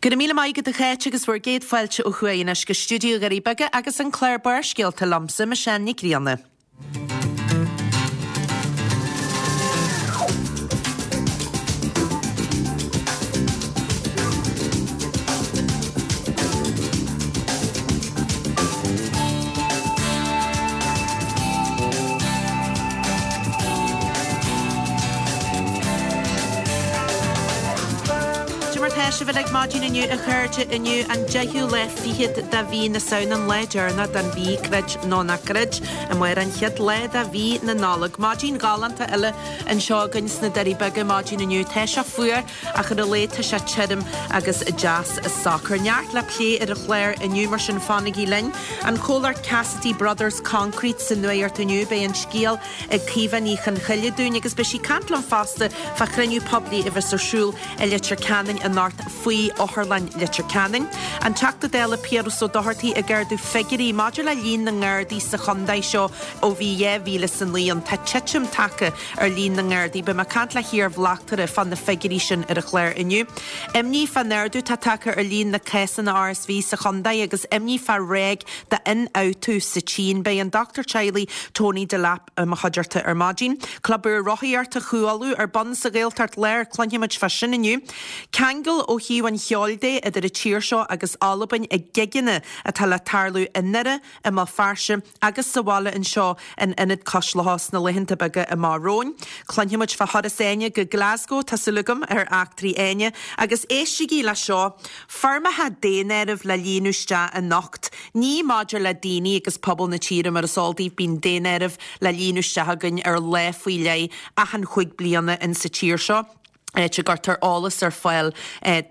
Go raibh míle maith agat a Cháit agus bhur gcéad fáilte ó thuaidh anois go stiúideo Dhoirí Beaga agus an clár Barrscéalta liomsa, Michelle Nic Grianna. Cad é mar tá sibh uilig maidin inniu a chairde, inniu an deichiú lá fichead de mhí na Samhna, an lá deireanach den mhí, creid nó ná creid, amárach an chéad lá de mhí na Nollag. Maidin ghalánta eile anseo againn sna Doirí Beaga maidin inniu. Tá sé fuar ach ar a laghad tá sé tirim agus deas socair. Neart le plé ar an chlár inniu mar sin fanaigí linn. An comhlacht Cassidy Brothers Concrete sa nuacht inniu, beidh an scéal ag Caoimhe Ní Chonchoille dúinn agus beidh sí ag caint liom fosta fá chruinniú poiblí a bheas ar siúl i Leitir Ceanainn anocht faoi Otharlann Leitir Ceanainn. An Teachta Dála Piaras Ó Dochartaigh ag ardú figiúirí maidir le líon na nGardaí sa chontae seo ó bhí 2009 ann. Tá titim tagtha ar líon na nGardaí. Beidh mé ag caint le hiar-bhleachtaire fá na figiúirí sin ar an chlár inniu. Imní fán ardú atá tagtha ar líon na cásanna RSV sa chontae agus imní fá ráig d'ionfhabhtú sa tSín. Beidh an dochtúir teaghlaigh Tony Delap i mo chuideachta ar maidin. Club úr rothaíochta Chú Uladh ar bun sa Ghaeltacht Láir, cluinfimid fá sin inniu. Ceangal ó thaobh an cheoil de idir an tír seo agus Albain ag gigeanna atá le tarlú i nDoire, i mBéal Feirste agus sa bhaile anseo in Ionad Cois Locha sna laethanta beaga amach romhainn. Cluinfimid fá thuras Áine go Glasgow, tá súil agam, ar Eachtraí Áine. Agus éistigí le seo, foirmeacha daonáirimh le líonadh isteach anocht. Ní maidir le daoine agus pobal na tíre, mar is eol daoibh bíonn daonáireamh le líonadh isteach againn ar lá faoi leith achan chúig bliana in sa tír seo, áit a gcuirtear eolas ar fáil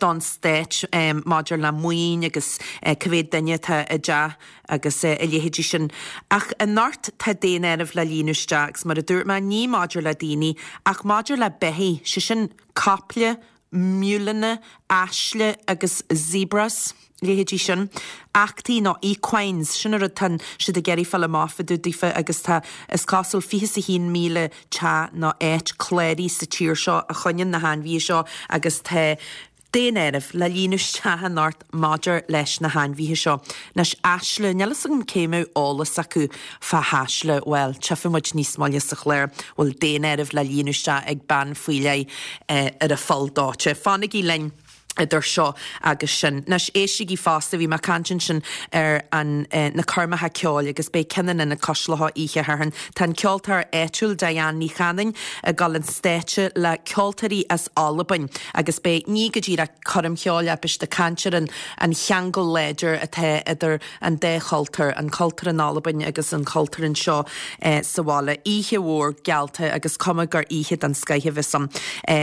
don stát maidir le maoin agus cá mhéad duine atá i dteach agus a leithéidí sin. Ach anocht tá daonáireamh le líonadh isteach agus mar a dúirt mé, ní maidir le daoine ach maidir le beithígh, sé sin caiple, miúileanna, aisle agus zebras, leithéidí sin. Eachtaí nó equines, sin an rud tá siad ag iarraidh fáil amach fá dtaobh daofa agus tá, is cosúil, 21,000 teach nó áit cláraithe sa tír seo a choinníonn na hainmhithe seo agus tá daonáireamh le líonadh isteach anocht maidir leis na hainmhithe seo. Anois, aisle, níl fhios agam cé mbeadh eolas acu fá hAisle, bhuel, tchífidh muid níos moille sa chlár, bhfuil daonáireamh le líonadh isteach ag bean faoi leith ar an pholl dóite. Fanaigí linn idir seo agus sin. Anois, éistigí fosta, bhí mé ag caint ansin ar an, na coirmeacha ceoil agus beidh ceann in Ionad Cois Locha oíche Shathairn. Tá an ceoltóir áitiúil Diane Ní Chanainn ag dul an stáitse le ceoltóirí as Albain agus beidh, ní go díreach coirm cheoil ach beidh siad ag caint ar an, an cheangal láidir atá idir an dá chultúr, an cultúr in Albain agus an cultúr anseo sa bhaile. Oíche mhór geallta agus cuma gur oíche den scoith a bheas ann.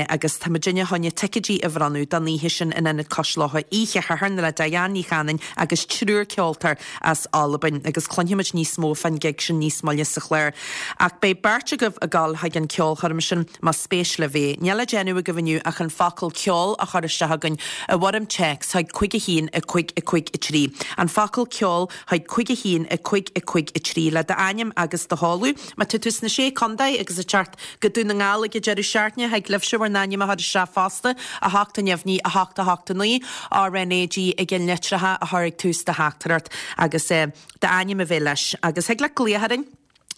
Agus tá muidinne chun ticéidí a bhronnadh don oíche sin in Ionad Cois Locha oíche Shathairn le Diane Ní Chanainn agus triúr ceoltóir as Albain agus cluinfimid níos mó fán gig sin níos moille sa chlár. Ach beidh beirt agaibh ag dul chuig an ceolchoirm sin. Más spéis libh é, níl le déanamh agaibh inniu ach an focal 'ceol' a chur isteach chugainn i bhfoirm téacs chuig 5 1 5 5 3. An focal 'ceol' chuig 5 1 5 5 3 le d'ainm agus do sheoladh. Má tá tú sna Sé Contae agus ag teacht go Dún na nGall ag an deireadh seachtaine, thig libhse bhur n-ainm a chur isteach fosta, 8 neamhní 8 8 9, RnaG i gceannlitreacha a chur ag tús do theachtaireacht agus d'ainm a bheith leis. Agus thig leat glaoch orainn.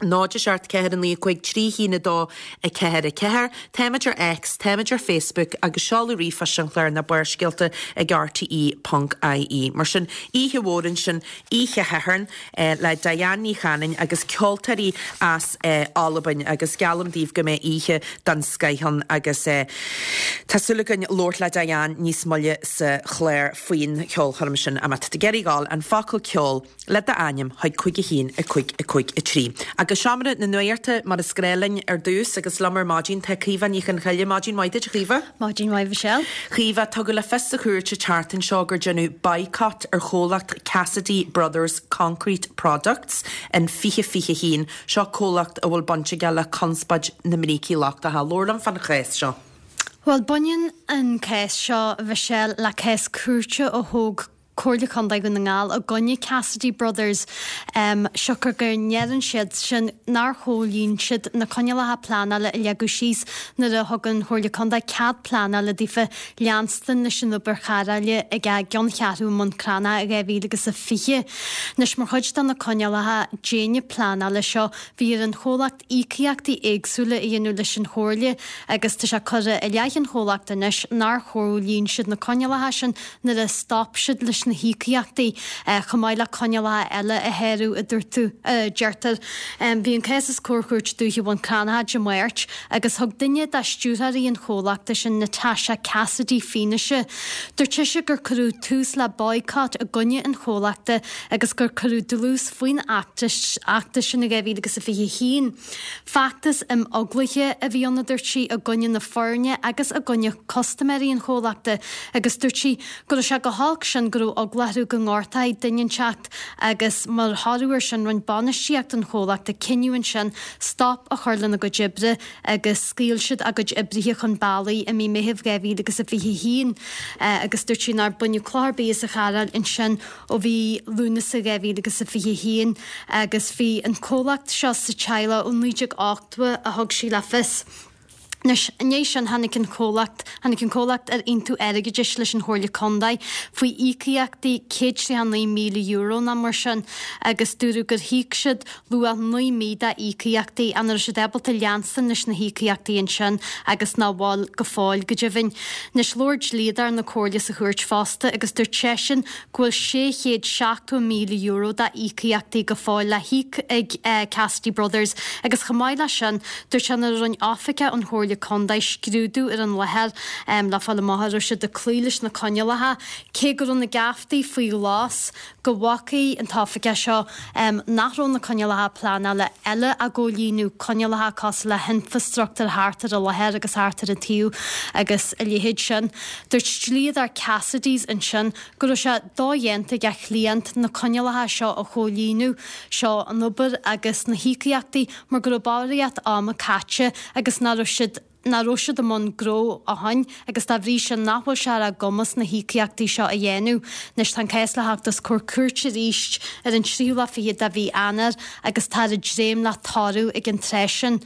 0 7 4 9 5 3 1 2 4 4. Táimid ar X, táimid ar Facebook agus seoladh ríomhphoist an chláir ná Barrscéalta ag rte ponc ie. Mar sin, oíche mhór ansin, oíche Shathairn, le Diane Ní Chanainn agus ceoltóirí as Albain agus geallaim daoibh go mbeidh oíche den scoith ann agus tá súil againn labhairt le Diane níos moille sa chlár faoin cheolchoirm sin. Má tá tú ag iarraidh ghabháil, an focal ceol. le d'ainm chuig 5 1 5 5 3. Agus Seomra na Nuachta mar is gnáth linn ar dtús agus liom ar maidin tá Caoimhe Ní Chonchoille. Maidin mhaith duit a Chaoimhe. Maidin mhaith Michelle. Caoimhe, tugadh le fios sa chúirt an tseachtain seo gur deineadh boycott ar chomhlacht Cassidy Brothers Concrete Products in 2021. Seo comhlacht a bhfuil baint aige le conspóid na mbrící lochtacha. Labhair liom fán chás seo. Bhuel, baineann an cás seo, Michelle, le cás cúirte a thóg. Comhairle Contae Dhún na nGall i gcoinne Cassidy Brothers, siocair go ndeireann siad sin nár chomhlíon siad na coinníollacha pleanála a leagadh síos nuair a thug an Chomhairle Contae cead pleanála daofa leanstan leis an obair chaireáile ag a gceanncheathrú i mBun Cranncha i 2020. Anois, mar chuid de na coinníollacha déine pleanála seo, bhí ar an chomhlacht íocaíochtaí éagsúla a dhéanamh leis an Chomhairle agus tá sé curtha i leith an chomhlachta anois nár chomhlíon siad na coinníollacha sin nuair a stop siad leis na híocaíochtaí, chomh maith le coinníollacha eile a shárú, a dúirt tú, a deirtear. Bhí an cás os comhair Chúirt Dúiche Bhun Cranncha Dé Máirt agus thug duine de stiúrthóirí an chomhlachta sin, Natasha Cassidy, fianaise. Dúirt sise gur cuireadh tús le boycott i gcoinne an chomhlachta agus gur cuireadh dlús faoin fheachtas sin in 2021. Feachtas imeaglaithe a bhí ann, a dúirt sí, i gcoinne na foirne agus i gcoinne custaiméirí an chomhlachta agus dúirt sí go raibh sé chomh holc sin go raibh eagla orthu go ngortófaí duine inteacht agus mar thoradh air sin rinne bainistíocht an chomhlachta cinneadh ansin stop a chur lena gcuid oibre agus scaoil siad a gcuid oibrithe chun bealaigh i mí Meithimh 2021 agus dúirt sí nár baineadh cloch ar bith as an chaireáil ansin ó mhí Lúnasa 2021 agus bhí an comhlacht seo sa teaghlach ó 1980 a thug sí le fios. Anois, i ndiaidh sin tháinig an comhlacht, tháinig an comhlacht ar aontú airgeadais leis an Chomhairle Contae faoi íocaíochtaí €139,000 nó mar sin agus dúradh gur híoc siad luach 9 mí dá íocaíochtaí ach nach raibh siad ábalta leanstan leis na híocaíochtaí ansin agus nach bhfuil go fóill go deimhin. Anois labhair dlíodóir na Comhairle sa chúirt fosta agus dúirt seisean go bhfuil €670,000 dá íocaíochtaí go fóill le híoc ag Cassidy Brothers agus chomh maith leis sin, dúirt sé nuair a rinne oifigeach ón Chomhairle Contae scrúdú ar an láthair le fáil amach an raibh siad ag cloí leis na coinníollacha, cé go raibh na geaftaí faoi ghlas, go bhfacaidh an t-oifigeach seo nach raibh na coinníollacha pleanála eile á gcomhlíonadh, coinníollacha cosúil le hinfreastruchtúr thart ar an láthair agus thart ar an taobh agus a leithéid sin. Dúirt dlíodóir Cassidy's ansin go raibh sé dodhéanta ag a chliant na coinníollacha seo a chomhlíonadh, seo an obair agus na híocaíochtaí mar go raibh barraíocht ama caite agus nach raibh siad nach raibh siad i mbun gnó ó shoin agus dá bhrí sin nach bhfuil sé ar a gcumas na híocaíochtaí seo a dhéanamh. Anois tá an cás le theacht os comhair cúirte arís ar an tríú lá fichead de mhí Eanáir agus táthar ag dréim le toradh ag an tráth sin.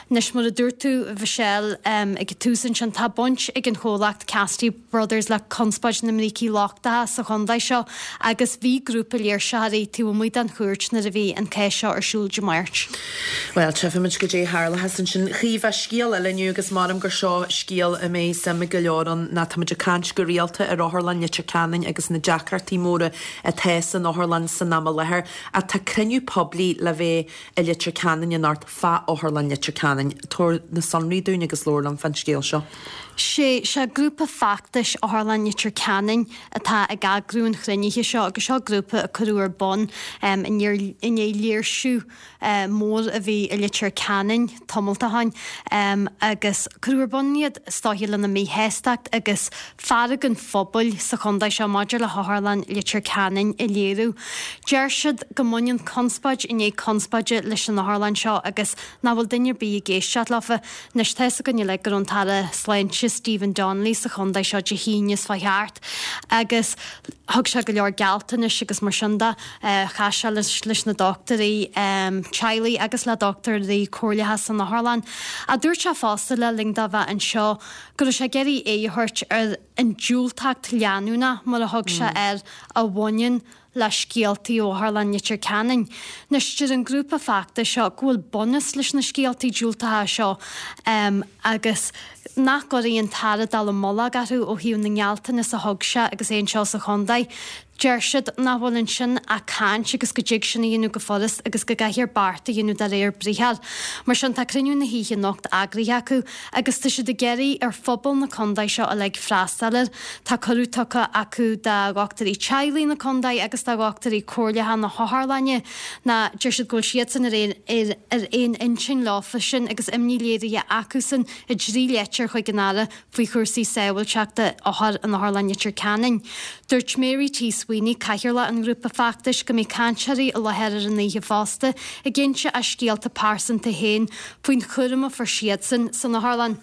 Anois mar a dúirt tú a Mhichelle ag an tús ansin tá baint ag an chomhlacht Cassidy Brothers le conspóid na mbrící lochtacha sa chontae seo agus bhí grúpa léirsitheoirí taobh amuigh den chúirt nuair a bhí an cás seo ar siúl Dé Máirt. Bhuel, tchífimid goidé a tharlóchas ansin. Caoimhe, scéal eile inniu agus measaim gur seo scéal a mbeidh suim ag go leor ann ná táimid ag caint go rialta ar Otharlann Leitir Ceanainn agus na deacrachtaí móra atá san otharlann san am i láthair. Ach tá cruinniú poiblí le bheith i Leitir Ceanainn anocht fá Otharlann Leitir Ceanainn. Tabhair na sonraí dúinn agus labhair liom fán scéal seo. Sé seo grúpa feachtais Otharlann Leitir Ceanainn atá ag eagrú an chruinnithe seo agus seo grúpa a cuireadh ar bun i ndiaidh léirsiú mór a bhí i Leitir Ceanainn tamalt ó shoin agus cuireadh ar bun iad is dóiche lena míshástacht agus fearg an phobail sa chontae seo maidir le hOtharlann Leitir Ceanainn a léiriú. Deir siad go mbaineann conspóid i ndiaidh conspóide leis an otharlann seo agus nach bhfuil duine ar bith ag éisteacht leofa. Anois tá fhios againn uilig go raibh an tAire Sláinte Stephen Donnelly sa chontae seo Dé hAoine seo chuaigh thart agus thug sé go leor gealltanais agus mar sin de. Chas sé leis na dochtúirí teaghlaigh agus le dochtúirí comhairleacha san otharlann. Ach dúirt sé fosta le linn dó bheith anseo go raibh sé ag iarraidh aghaidh a thabhairt ar an diúltacht leanúnach, mar a thug sé air, a bhaineann le scéaltaí ó Otharlann Leitir Ceanainn. Anois, deir an grúpa feachtais seo go bhfuil bunús leis na scéaltaí diúltacha seo agus nach gcuirfidh an tAire dallamullóg orthu ó thaobh na ngealltanas a thug sé agus é anseo sa chontae. Deir siad nach bhfuil ansin ach caint agus go dtig sin a dhéanamh go furast agus go gcaithfear beart a dhéanamh de réir briathair. Mar sin tá cruinniú na hoíche anocht eagraithe acu agus tá siad ag iarraidh ar phobal na contae seo uilig freastal air. Tá cuireadh tugtha acu do dhochtúirí teaghlaigh na contae agus do dhochtúirí comhairleacha na hotharlainne ná deir siad go bhfuil siadsan ar ar aon intinn leofa sin agus imní léirithe acusan i dtrí leitir chuig an Aire faoi chúrsaí sábháilteachta othar in Otharlann Leitir Ceanainn. Dúirt Mary T Sweeney, cathaoirleach an ghrúpa feachtais, go mbeidh cainteoirí i láthair ar an oíche fosta ag inse a scéalta pearsanta féin faoin chúram a fuair siadsan san otharlann.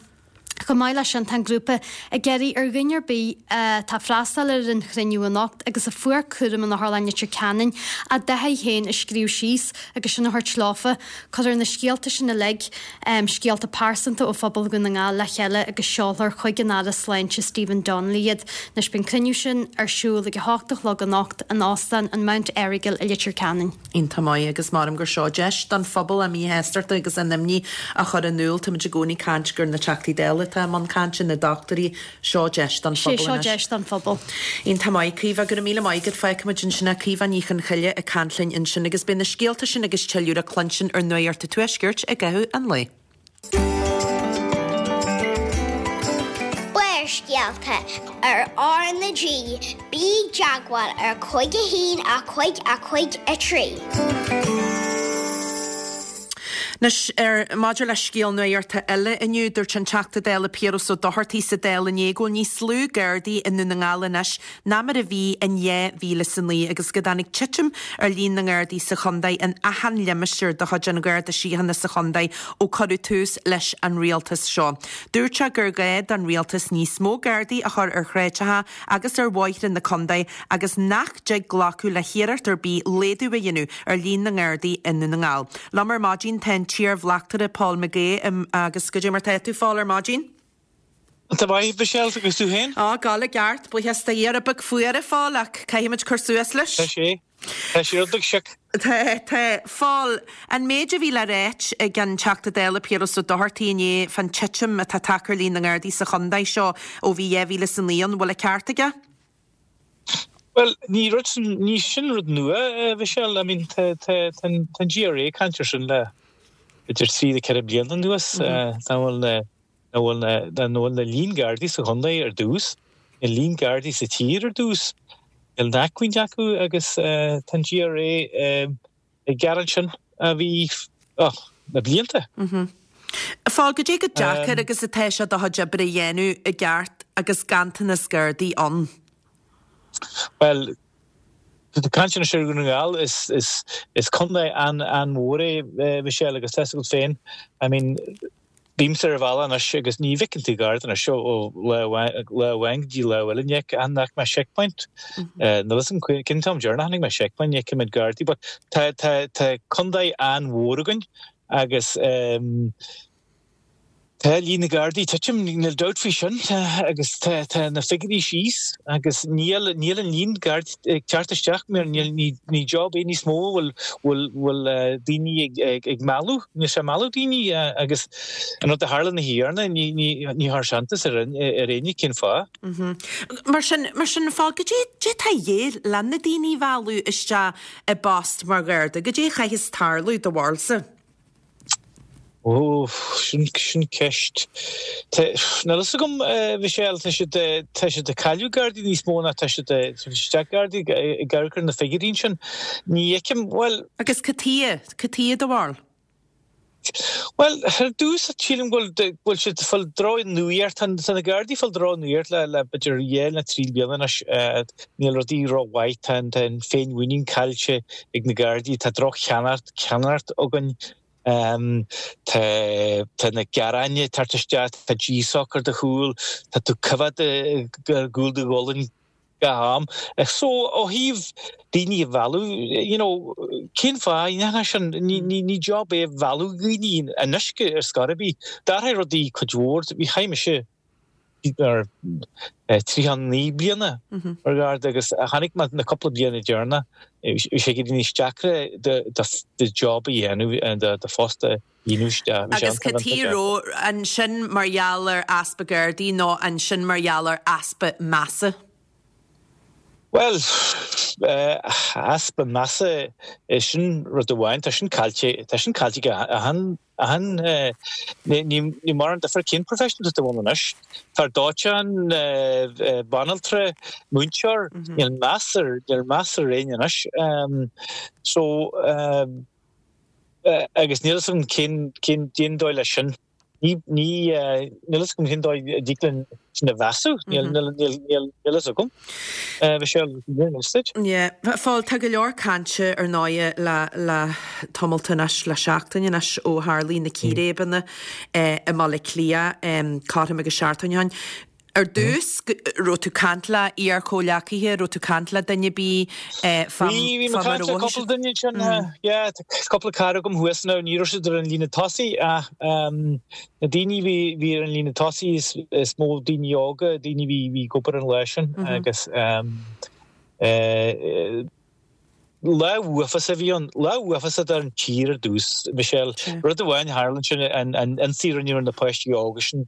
Chomh maith leis sin, tá an grúpa ag iarraidh ar dhuine ar bith atá ag freastal ar an chruinniú anocht agus a fuair cúram in Otharlann Leitir Ceanainn a dtaithí féin a scríobh síos agus sin a thabhairt leofa. Cuirfear na scéalta sin uilig, scéalta pearsanta ó phobal Dhún na nGall le chéile agus seolfar chuig an Aire Sláinte Stephen Donnelly iad. Anois beidh an cruinniú sin ar siúl ag 8 a chlog anocht in Óstán an Mount Errigal i Leitir Ceanainn. Iontach maith agus measaim gur seo deis don phobal a míshástachta agus a n-imní a chur in iúl. Táimid i gcónaí ag caint gur na Teachtaí Dála atá i mbun cainte, na dochtúirí, seo deis don phobal anois. Seo deis don phobal. Iontach maith, Caoimhe, go raibh míle maith agat. Fágfaimid ansin é. Caoimhe Ní Chonchoille ag caint linn ansin agus beidh na scéalta sin agus tuilleadh le cluinstin ar Nuacht an Tuaiscirt i gcaitheamh an lae. Barrscéalta ar R na G, bí i dteagmháil ar 5 1 5 5 3. Anois, ar maidir le scéal nuachta eile inniu, dúirt an Teachta Dála Piaras Ó Dochartaigh sa Dáil inné go bhfuil níos lú Gardaí i nDún na nGall anois ná mar a bhí in 2009 agus go dtáinig titim ar líon na nGardaí sa chontae in achan limistéar de chuid an Gharda Síochána sa chontae ó cuireadh tús leis an rialtas seo. Dúirt sé gur ghá don rialtas níos mó Gardaí a chur ar shráideacha agus ar bhóithre na contae agus nach dtig glacadh le hiarracht ar bith laghdú a dhéanamh ar líon na nGardaí i nDún na nGall. Liom ar maidin tá an t-iarbhleachtaire Paul McGee agus goidé mar tá tú, a Phóil, ar maidin? Tá maith, Michelle, agus tú féin? Á, ag gabháil i gceart, buíochas do Dhia. Rud beag fuar, a Phóil, ach caithfimid cur suas leis. Tá sé. Tá sé rud beag sioc. Tá, tá. Phóil, an méid a bhí le ráit ag an Teachta Dála Piaras Ó Dochartaigh inné fán titim atá tagtha ar líon na nGardaí sa chontae seo ó bhí 2009 ann, bhfuil an ceart aige? Bhuel, ní rud sin, ní sin rud nua, a Mhichelle. I mean, tá, tá, tá an, tá an GRA ag caint ar sin le idir 3 le 4 bliana anuas. Nach bhfuil na, nach bhfuil na, nach bhfuil na líon Gardaí sa chontae ar dtús, na líon Gardaí sa tír ar dtús. Níl an acmhainn acu agus tá an GRA ag gearán sin a bhí, oh, na blianta. A Phóil, goidé chomh deacair agus atá sé do chuid oibre a dhéanamh i gceart agus ganntanas Gardaí ann? Bhuel, caint anois ar Dhún na nGall, is, is, is contae an-mhór é, Michelle, agus tá 'fhios agat féin, I mean, bímse ar an bhealach anois agus ní bhfeiceann tú Garda anois ó lá amháin go dtí lá eile, ní fhaca mé checkpoint, níl 'fhios agam cén t-am deireanach a chonaic mé checkpoint, ní fheicimid Gardaí, but tá, tá, tá contae an-mhór againn agus, Tá líon na Gardaí ag titim, níl dabht faoi sin, agus tá na figiúirí síos agus níl níl an líon Gardaí ag teacht isteach mar níl ní ní job é níos mó a bhfuil bhfuil bhfuil daoine ag ag ag mealladh, níl sé ag mealladh daoine agus an rud a tharla na hIarna ní ní ní chuirfeadh sé iontas ar ar éinne cén fáth. Mar sin mar sin fág goidé goidé atá a dhíth le na daoine a mhealladh isteach i bpost mar Gharda, goidé a chaithfeas tarlú do bharúilsa? Ó, sin, sin ceist. Tá, níl fhios agam, a Mhichelle, tá siad, tá siad ag cailleadh Gardaí níos mó ná tá siad ag tabhairt isteach Gardaí ag amharc ar na figiúirí ansin. Ní fheicim, bhuel. Agus cad tuighe, cad tuighe do bharúil? Bhuel, ar dtús, sílim go bhfuil, go bhfuil siad ag fáil droch-nuacht, tá, tá na Gardaí ag fáil droch-nuacht le, le b'fhéidir dhá nó trí bliana anois. Níl rudaí rómhaith, tá an, tá an féinmhuinín caillte ag na Gardaí, tá droch-cheannaireacht, ceannaireacht againn. Tá tá na gearáin ag teacht isteach, tá GSOC ar do chúl, tá tú coimhéad ar gcúl do ghualainn gach am. So ó thaobh daoine a mhealladh, you know, cén fáth a ndéanfá sin? Ní ní ní job é a mhealladh daoine anois ar scor ar bith. D'athraigh rudaí cuid mhór. Bhí chaith mise ar 39 bliana mar Gharda agus chonaic mé na cúpla bliana deireanach bhí sé ag éirí níos deacra do job a dhéanamh, do phost a dhéanamh. Agus cad chuige a raibh, an sin mar gheall ar easpa Gardaí nó an sin mar gheall ar easpa measa? Bhuel, easpa measa, sin rud amháin, tá sin caillte, tá sin caillte ag achan, achan, ní mórán difear cén profession atá tú ann anois. Fear dóiteáin, banaltra, múinteoir, níl meas ar, níl meas ar éinne anois. So, agus níl 'fhios agam cén, cén, cén dóigh leis sin. Ní, ní, níl fhios agam cén dóigh a dtig linn sin a mheasú, níl, níl, níl, níl fhios agam. Michelle, níl fhios duit. Yeah. A Phóil, tá go leor cainte ar ndóighe le, le tamalt anois, le seachtain anois ó tharlaigh na círéibeanna i mBaile Átha Cliath, cothrom agus seachtain ó shin. Ar dtús, raibh tú caint le iar-chomhleacaithe, raibh tú caint le duine ar bith fá Bhí, bhí mé caint le cúpla duine ansin, yeah, tá cúpla cara agam thuas now, ní raibh siad ar an líne tosaigh ach na daoine a bhí, bhí ar an líne tosaigh is, is mó daoine óga, daoine a bhí, bhí ag obair an lá sin agus eh, Lá uafásach a bhí ann. Lá uafásach don tír ar dtús, Michelle. Rud amháin a tharla ansin, an ionsaí a rinneadh ar na páistí óga sin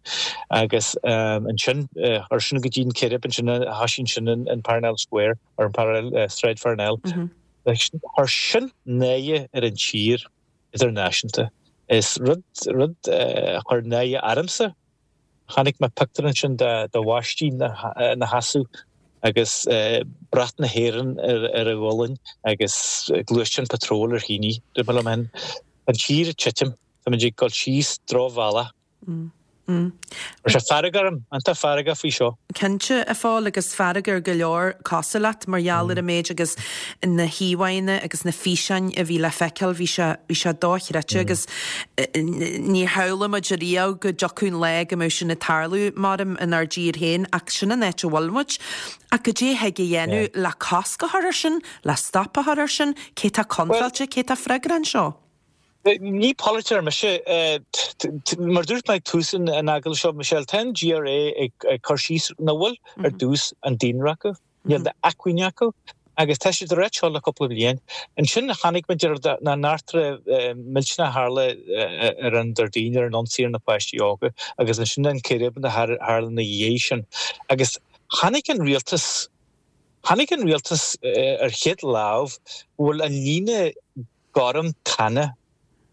agus ansin, chuir sin go dtí an círéib ansin a thoisigh ansin in Parnell Square, ar an Parnell, Sráid Pharnell. Chuir sin náire ar an tír idirnáisiúnta. Is rud, rud a chuir náire ormsa. Chonaic mé pictiúr ansin de bháistí ina sheasamh agus brat na hÉireann ar a ghualainn agus gluaisteán patróil ar shíní. Dúirt mé liom féin, tá an tír ag titim, táimid ag dul síos drochbhealach. Chuir sé fearg orm, iontach feargach faoi seo. Cinnte, a Phóil, agus fearg ar go leor cosúil leat mar gheall ar an méid agus na híomhánna agus na físeáin a bhí le feiceáil, bhí sé, bhí sé dochreidte agus níor shamhlaigh muid riamh go dtiocfadh an lá go mbeadh sin ag tarlú, maram, inár dtír féin ach sin an áit a bhfuil muid. Ach goidé a thig a dhéanamh le cosc a chur ar sin, le stop a chur ar sin, cé tá contráilte, cé tá freagrach anseo? Ní polaiteoir mise. Mar a dúirt mé ag tús an agallaimh seo, Michelle, tá an GRA ag cur síos nach bhfuil ar dtús an daonra acu, níl d'acmhainn acu agus tá siad ag ráit seo le cúpla bliain. Ansin chonaic muid ar na n-eachtra millteanach a tharla ar an Déardaoin ar an ionsaí ar na páistí óga agus ansin an círéib a tharla ina dhiaidh sin. Agus chonaic an rialtas, chonaic an rialtas ar chéad lámh go bhfuil an líne gorm tana.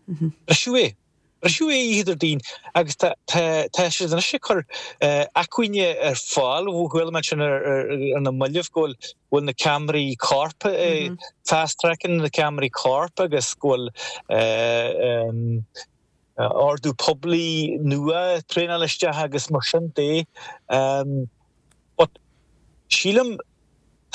Briseadh é. Briseadh é oíche Déardaoin agus tá tá siad anois ag cur acmhainne ar fáil. Chuala mé ansin ar na mallaibh go bhfuil bhfuil na ceamaraí coirp fast tracking na ceamaraí coirp agus go bhfuil ordú poiblí nua traenáil isteach agus mar sin de. But sílim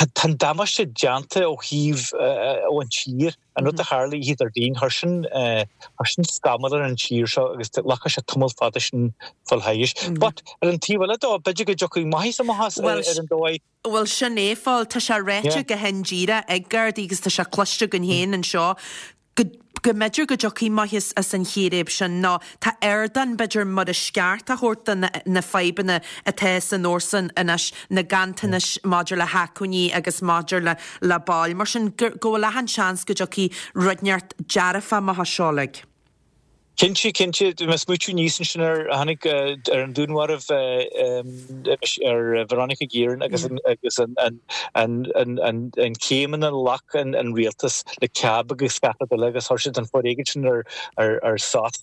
tá an damáiste déanta ó thaobh ó an tír, an rud a tharla oíche Déardaoin, chuir sin chuir sin scamall ar an tír seo agus glacfaidh sé tamall fada sin fáil thairis. But ar an taobh eile dó, b'fhéidir go dtiocfaidh maitheas amach as ar an dóigh. Bhuel sin é, a Phóil, tá sé ráite go hindíreach ag Gardaí agus tá sé cloiste againn féin anseo go go mb'fhéidir go dtiocfaidh maitheas as an chíréib sin nó tá ardán b'fhéidir mar is ceart a thabhairt do na fadhbanna atá san fhórsa anois, na ganntanais maidir le hacmhainní agus maidir le le baill. Mar sin go go bhfuil achan seans go dtiocfaidh rud inteacht dearfach amach as seo uilig. Cinnte, cinnte. Bhí mé ag smaoitiú aníos ansin ar, tháinig ar an dúnmharbh ar Veronica Guerin agus agus an an an an an céimeanna a ghlac an an rialtas le CAB agus gach rud eile agus chuir siad an foréigean sin ar ar ar sos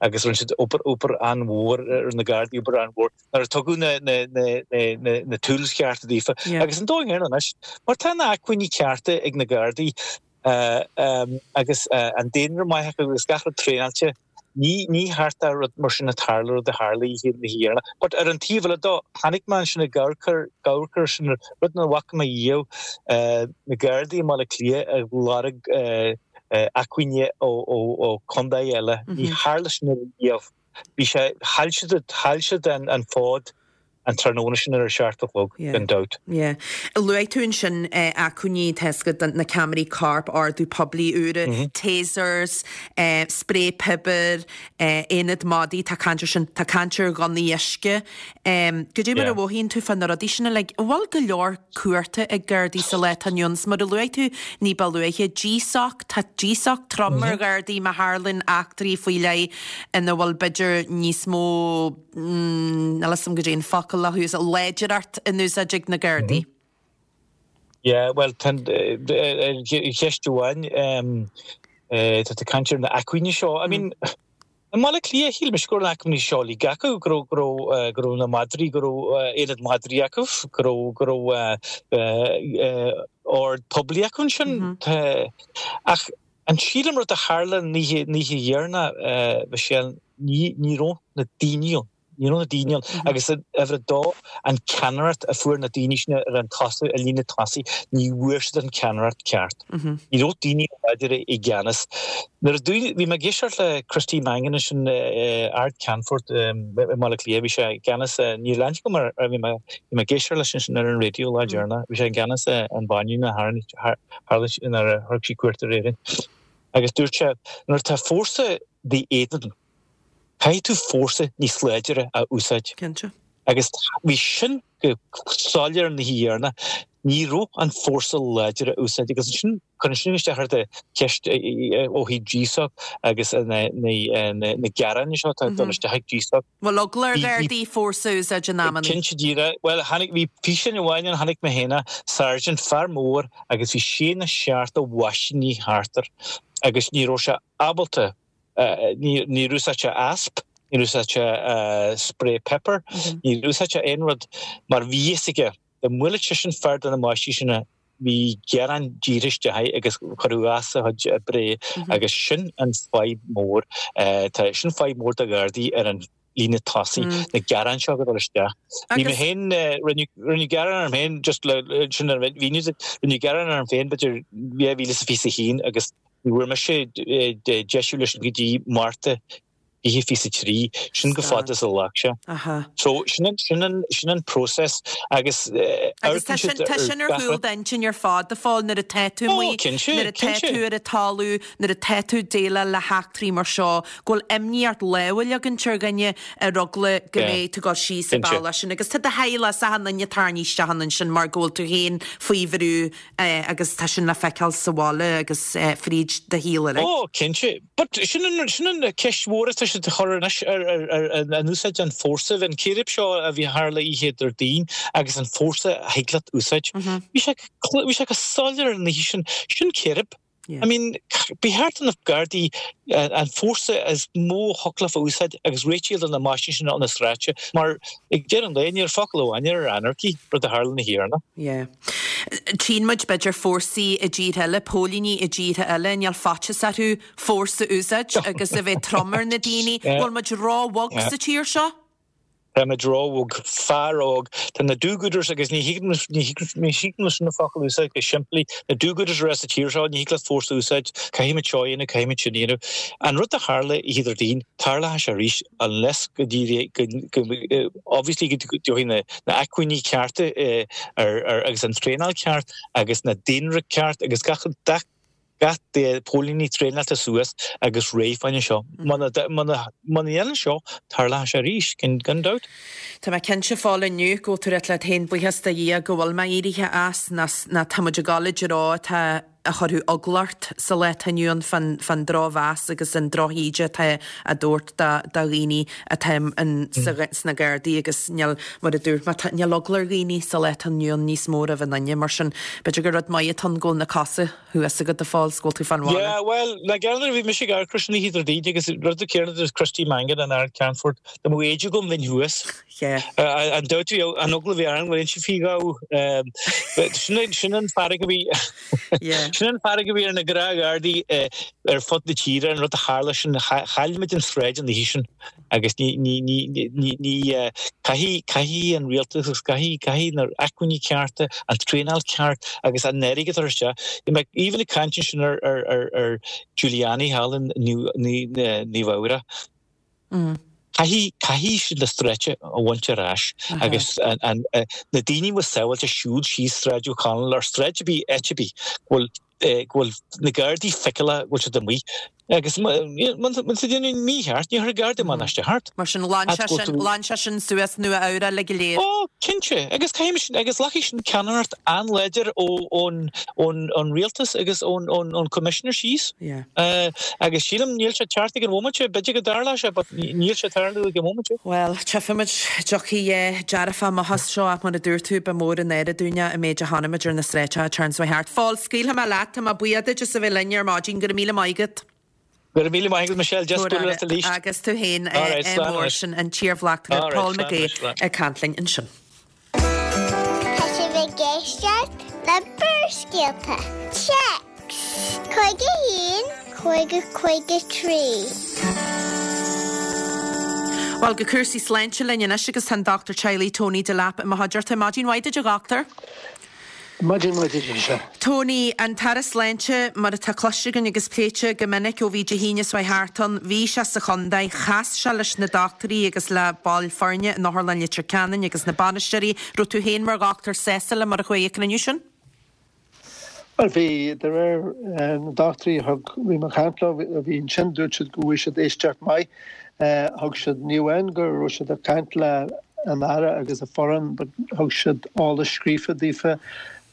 agus rinne siad obair obair an-mhór ar na Gardaí obair an-mhór nuair a tugadh na na na na na na tools cearta daofa. Agus an dóigh ar anois mar tá na acmhainní cearta ag na Gardaí agus an daonra maith acu agus gach rud traenáilte, ní ní cheart do rud mar sin a tarlú, rud a tharla oíche na hÉireann. But ar an taobh eile dó, chonaic mé ansin ag amharc amharc ar sin, rud nach bhfaca mé riamh, na Gardaí i mBaile Átha Cliath ag lorg acmhainne ó ó ó contae eile. Ní tharla sin riamh. Bhí sé, chaill siad, chaill siad an fód an tráthnóna sin ar a seacht a chlog, gan dabht. Yeah. Luaigh tú ansin acmhainní, tá a fhios agat, na ceamaraí coirp, ordú poiblí úra, tasers, sprae piobair, aonad madaí, tá caint ar sin, tá caint ar ghunnaí uisce. Goidé mar a mhothaíonn tú fá na rudaí sin uilig? An bhfuil go leor cumhachta ag Gardaí sa lá atá inniu ann? Mar a luaigh tú ní ba luaithe, GSOC, tá GSOC trom ar Ghardaí má tharlaíonn eachtraí faoi leith ina bhfuil b'fhéidir níos mó, níl a fhios agam goidé an focal le húsáid, láidreacht in úsáid ag na Gardaí. Yeah, bhuel, tá ceist amháin, tá tú ag caint ar na acmhainní seo. I mean, i mBaile Átha Cliath, shíl mise go raibh na acmhainní seo uilig acu, go raibh, go raibh, go raibh na madraí, go raibh aonad madraí acu, go raibh, go raibh ord poiblí acu ansin. Ach. An sílim rud a tharla an oíche dheireanach, Michelle, ní ní raibh na daoine ann. Ní raibh na daoine ann. Agus uimhir a dó, an ceannaireacht a fuair na daoine sin ar an tosaigh, i líne tosaigh, ní bhfuair siad an ceannaireacht ceart. Ní raibh daoine láidire i gceannas. Nuair a bhí mé ag éisteacht le Christy Mangan ansin, Ard-Cheannfort i mBaile Átha Cliath, bhí sé i gceannas, níl aithne agam air, bhí mé ag éisteacht leis ansin ar an raidió lá deireanach, bhí sé i gceannas an bhaile tharla nuair a thug sé cuairt ar Éirinn. Agus dúirt sé, nuair atá fórsa d'éadan, caithfidh tú fórsa níos láidire a úsáid. Cinnte. Agus bhí sin go soiléir an oíche dheireanach, ní raibh an fórsa láidir a úsáid agus ansin cuireann sin isteach ar do cheist ó thaobh GSOC agus na gearáin seo atá ag dul isteach ag GSOC. Bhfuil eagla ar Ghardaí fórsa a úsáid in amannaí? Cinnte díreach. Bhuel, tháinig, bhí físeán amháin ann, chonaic mé féin é, sergeant, fear mór agus bhí sé nó seacht de mheaisíní thart air agus ní raibh sé ábalta, níor úsáid sé ASP, níor úsáid sé spray pepper, níor úsáid sé aon rud mar bhí fhios aige dá mbuailfeadh seisean fear de na máistrí sin bhí gearán díreach isteach air agus cuireadh as a chuid oibre agus sin an fadhb mór. Tá sin fadhb mór do Ghardaí ar an líne tosaigh, na gearáin seo ag dul isteach. Bhí mé féin, rinneadh gearán orm féin, just le sin a mhíniú duit, rinneadh gearán orm féin b'fhéidir 2021 agus ní bhfuair mise deisiú leis go dtí Márta 2023, sin chomh fada is a ghlac sé. So sin an, sin an, sin an process agus Agus tá sin, tá sin ar chúl d'intinn ar fad, a Phóil, nuair atá tú amuigh, nuair atá tú ar an talamh, nuair atá tú ag déileáil le heachtraí mar seo, go bhfuil imní ort lámh a leagaint ar dhuine ar eagla go mbeidh tú ag dul síos an bealach sin. Agus tá do theaghlach is achan duine tarraingthe isteach ann ansin mar go bhfuil tú féin faoi bhrú agus tá sin le feiceáil sa bhaile agus fríd do shaol uilig. Ó, cinnte. But sin an, sin an ceist mhór atá siad a chur anois ar, ar, ar an úsáid an fórsa, an círéib seo a bhí tharla oíche Déardaoin agus an fórsa a thig leat úsáid. Bhí sé, bhí sé go soiléir an oíche sin, sin círéib. I mean, ba cheart do na Gardaí an fórsa is mó a thiocfadh leo a úsáid agus réitigh do na máistrí sin ar na sráide mar ag deireadh an lae ní raibh focal amháin ar anarchy, rud a tharla an oíche dheireanach. Yeah. Tchíonn muid, b'fhéidir, fórsaí i dtíortha eile, póilíní i dtíortha eile, níl faitíos orthu fórsa a úsáid agus a bheith trom ar na daoine. Bhfuil muid ró-bhog sa tír seo? Táimid róbhog, fear óg. Tá na do-gooders agus ní thig ní thig leis na focail a úsáid go simplí. Na do-gooders a raibh sa tír seo, ní thig leat fórsa a úsáid, caithfimid seo a dhéanamh, caithfimid sin a dhéanamh. An rud a tharla oíche Déardaoin, tarlóidh sé arís unless go go obviously go dtiocfaidh na na acmhainní cearta ar ar agus an traenáil ceart agus na daonra ceart agus gach gach gach póilíní traenáilte suas agus réidh fá choinne seo. Muna ndéanann seo, tarlóidh sé arís, gan dabht. Tá mé cinnte a Phóil inniu go bhfuil tú ag rá leat féin buíochas do Dhia go bhfuil mé éirithe as, ná tá muid ag dul i dtreo atá a chuirfeadh eagla ort sa lá atá inniu ann fán fán drochmheas agus an drochíde atá á dtabhairt do dhaoine atá sna Gardaí agus níl, mar a dúirt mé, níl eagla ar dhaoine sa lá atá inniu ann níos mó roimh aon duine. Mar sin, b'fhéidir gur rud maith atá ann go bhfuil na cosa thuas agat a Phóil 's go bhfuil tú fán bhaile. Yeah, bhuel, na geall bhí mise ag amharc air sin oíche Déardaoin agus rud an céanna dúirt Christy Mangan an Ard-Cheannfort, dá mbeadh éide agam bheinn thuas. Yeah. An dabht bhí an eagla a bhí orm go n-inseofaí domh. Sin sin an fearg a bhí Yeah. sin an fearg a bhí ar na gnáthghardaí ar fud na tíre an rud a tharla sin chaill muid an tsráid an oíche sin. Agus ní, ní, ní, ní, ní, caithfidh, caithfidh an rialtas agus caithfidh, caithfidh na acmhainní cearta, an traenáil ceart agus an airgead a chur isteach. Bhí mé even ag caint ansin ar, ar, ar, ar Giuliani thall in Nua Eabhrac. Caithfidh, caithfidh siad na sráide a bhaint ar ais agus an, an, na daoine a bhfuil sábháilte siúl síos Sráid O'Connell ar sráid ar bith, áit ar bith, go bhfuil go bhfuil na Gardaí feiceálach go bhfuil siad amuigh agus má tá déanamh mícheart ní chuirfidh Garda amach isteach ort. Mar sin, ghlan sé sin, ghlan sé sin suas Nua Eabhrac uilig go léir. Ó, cinnte, agus caithfidh sin, agus glacfaidh sin ceannaireacht an-láidir ó ón ón ón rialtas agus ón ón ón Commissioner síos. Yeah. Agus sílim níl sé teacht ag an bhomaite, b'fhéidir go dtarlóidh sé but níl sé ag tarlú ag an bhomaite. Bhuel, tchífimid, dtiocfaidh a dhearfach amach as seo ach mar a dúirt tú, ba mhór an náire dúinne an méid a chonaic muid ar na sráideacha an tseachtain seo thart. Phóil, scaoilfidh mé leat, tá mé buíoch duit as a bheith linn ar maidin, go raibh míle maith agat. Go raibh míle maith agat Michelle, deas bualadh leat arís. Agus tú féin, mór sin an t-iarbhleachtaire Paul McGee ag caint linn ansin. Tá sibh ag éisteacht le Barrscéalta. Téacs. 51 50 53. Bhuel, go cúrsaí sláinte linn anois agus tá an Dochtúir Teaghlaigh Tony Delap i mo chuideachta. Maidin mhaith duit a dhochtúir. Maidin mhaith duit anseo. Tony, an tAire Sláinte, mar atá cloiste againn agus pléite go minic ó bhí Dé hAoine seo thart ann, bhí sé sa chontae, chas sé leis na dochtúirí agus le baill foirne in Otharlann Leitir Ceanainn agus na bainisteoirí. Raibh tú féin mar dhochtúir sásta le mar a chuaigh an cruinniú sin? Bhuel, bhí, de réir na dochtúirí a thug, bhí mé ag caint leo, a bhí ansin, dúirt siad go bhfuair siad éisteacht maith. Thug siad, ní amháin go raibh siad ag caint le an Aire agus a foireann, but thug siad eolas scríofa daofa,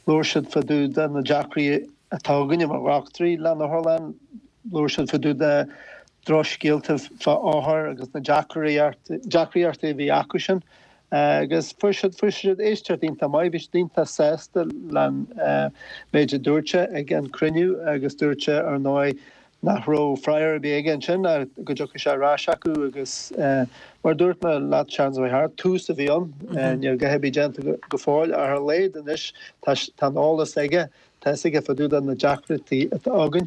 labhair siad fá dtaobh de na deacraí atá againne mar dhochtúirí le an otharlann, labhair siad fá dtaobh de drochscéalta fá othair agus na deacraíochtaí a bhí acu sin. Agus fuair siad, fuair siad éisteacht iontach maith, bhí siad iontach sásta len méid a dúirt sé ag an cruinniú agus dúirt sé ar ndóigh nach raibh freagra ar bith aige ansin ach go dtiocfadh sé ar ais acu agus mar a dúirt mé leat seans mhaith thart, tús a bhí ann, níl a dhath ar bith déanta go fóill ach ar a laghad anois tá tá an eolas aige Tá fhios aige fá dtaobh de na deacrachtaí atá againn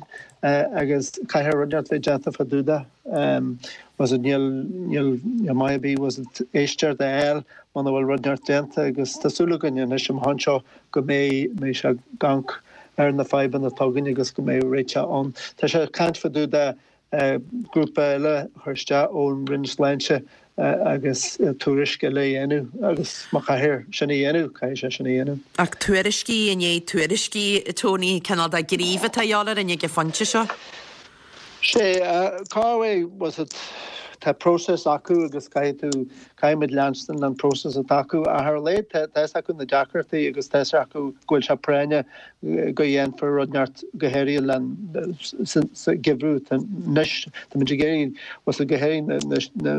agus caithfidh rud inteacht bheith déanta fá dtaobh de. Bhfuil fhios a'd, níl, níl, níl maith ar bith, bhfuil fhios a'd, éisteacht a fháil muna bhfuil rud inteacht déanta agus tá súil againn anois amach anseo go mbeidh, mbeidh sé ag amharc ar na fadhbanna atá againn agus go mbeidh réiteach ann. Tá sé ag caint fá dtaobh de grúpa eile a chur isteach ón Roinn Sláinte agus tuairisc eile a dhéanamh agus má chaithfear sin a dhéanamh, caithfidh sé sin a dhéanamh. Ach tuairiscí i ndiaidh tuairiscí, Tony, cineál de ghníomh atá a dhíobháil orainn ag an phointe seo. Sea, cá bhfuil fhios a'd, tá próiseas acu agus caithfidh tú, caithfidh muid leanstan an próiseas atá acu ach ar a laghad tá fhios acu na deacrachtaí agus tá fhios acu go bhfuil sé práinneach go dhéanfar rud inteacht go háirithe len sa gheimhreadh anois táimid ag iarraidh bhfuil fhios a'd go háirithe na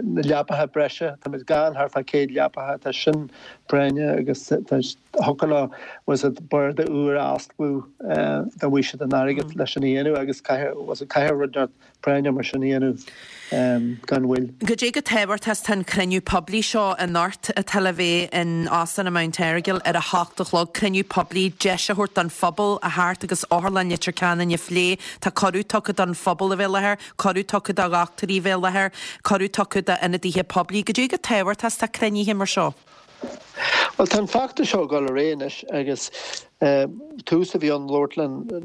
na leapacha breise táimid gann thart fá 100 leapacha tá sin práinneach agus tá thiocfadh leo bhfuil fhios a'd barda úr a osclú dá bhfaigheadh siad an airgead leis sin a dhéanamh agus caithfidh bhfuil fhios a'd caithfidh rud inteacht práinneach mar sin a dhéanamh gan mhoill. Goidé chomh tábhachtach is atá an cruinniú poiblí seo anocht atá le bheith in Óstán an Mount Errigal ar a hocht a chlog. Cruinniú poiblí, deis a thabhairt don phobal a theacht agus Otharlann Leitir Ceanainn a phlé. Tá cuireadh tugtha don phobal a bheith i láthair, cuireadh tugtha do dhochtúirí a bheith i láthair, cuireadh tugtha d'ionadaithe poiblí. Goidé chomh tábhachtach is atá cruinnithe mar seo. Bhuel, tá an feachtas seo ag dul ar aghaidh anois agus tús a bhí ann labhairt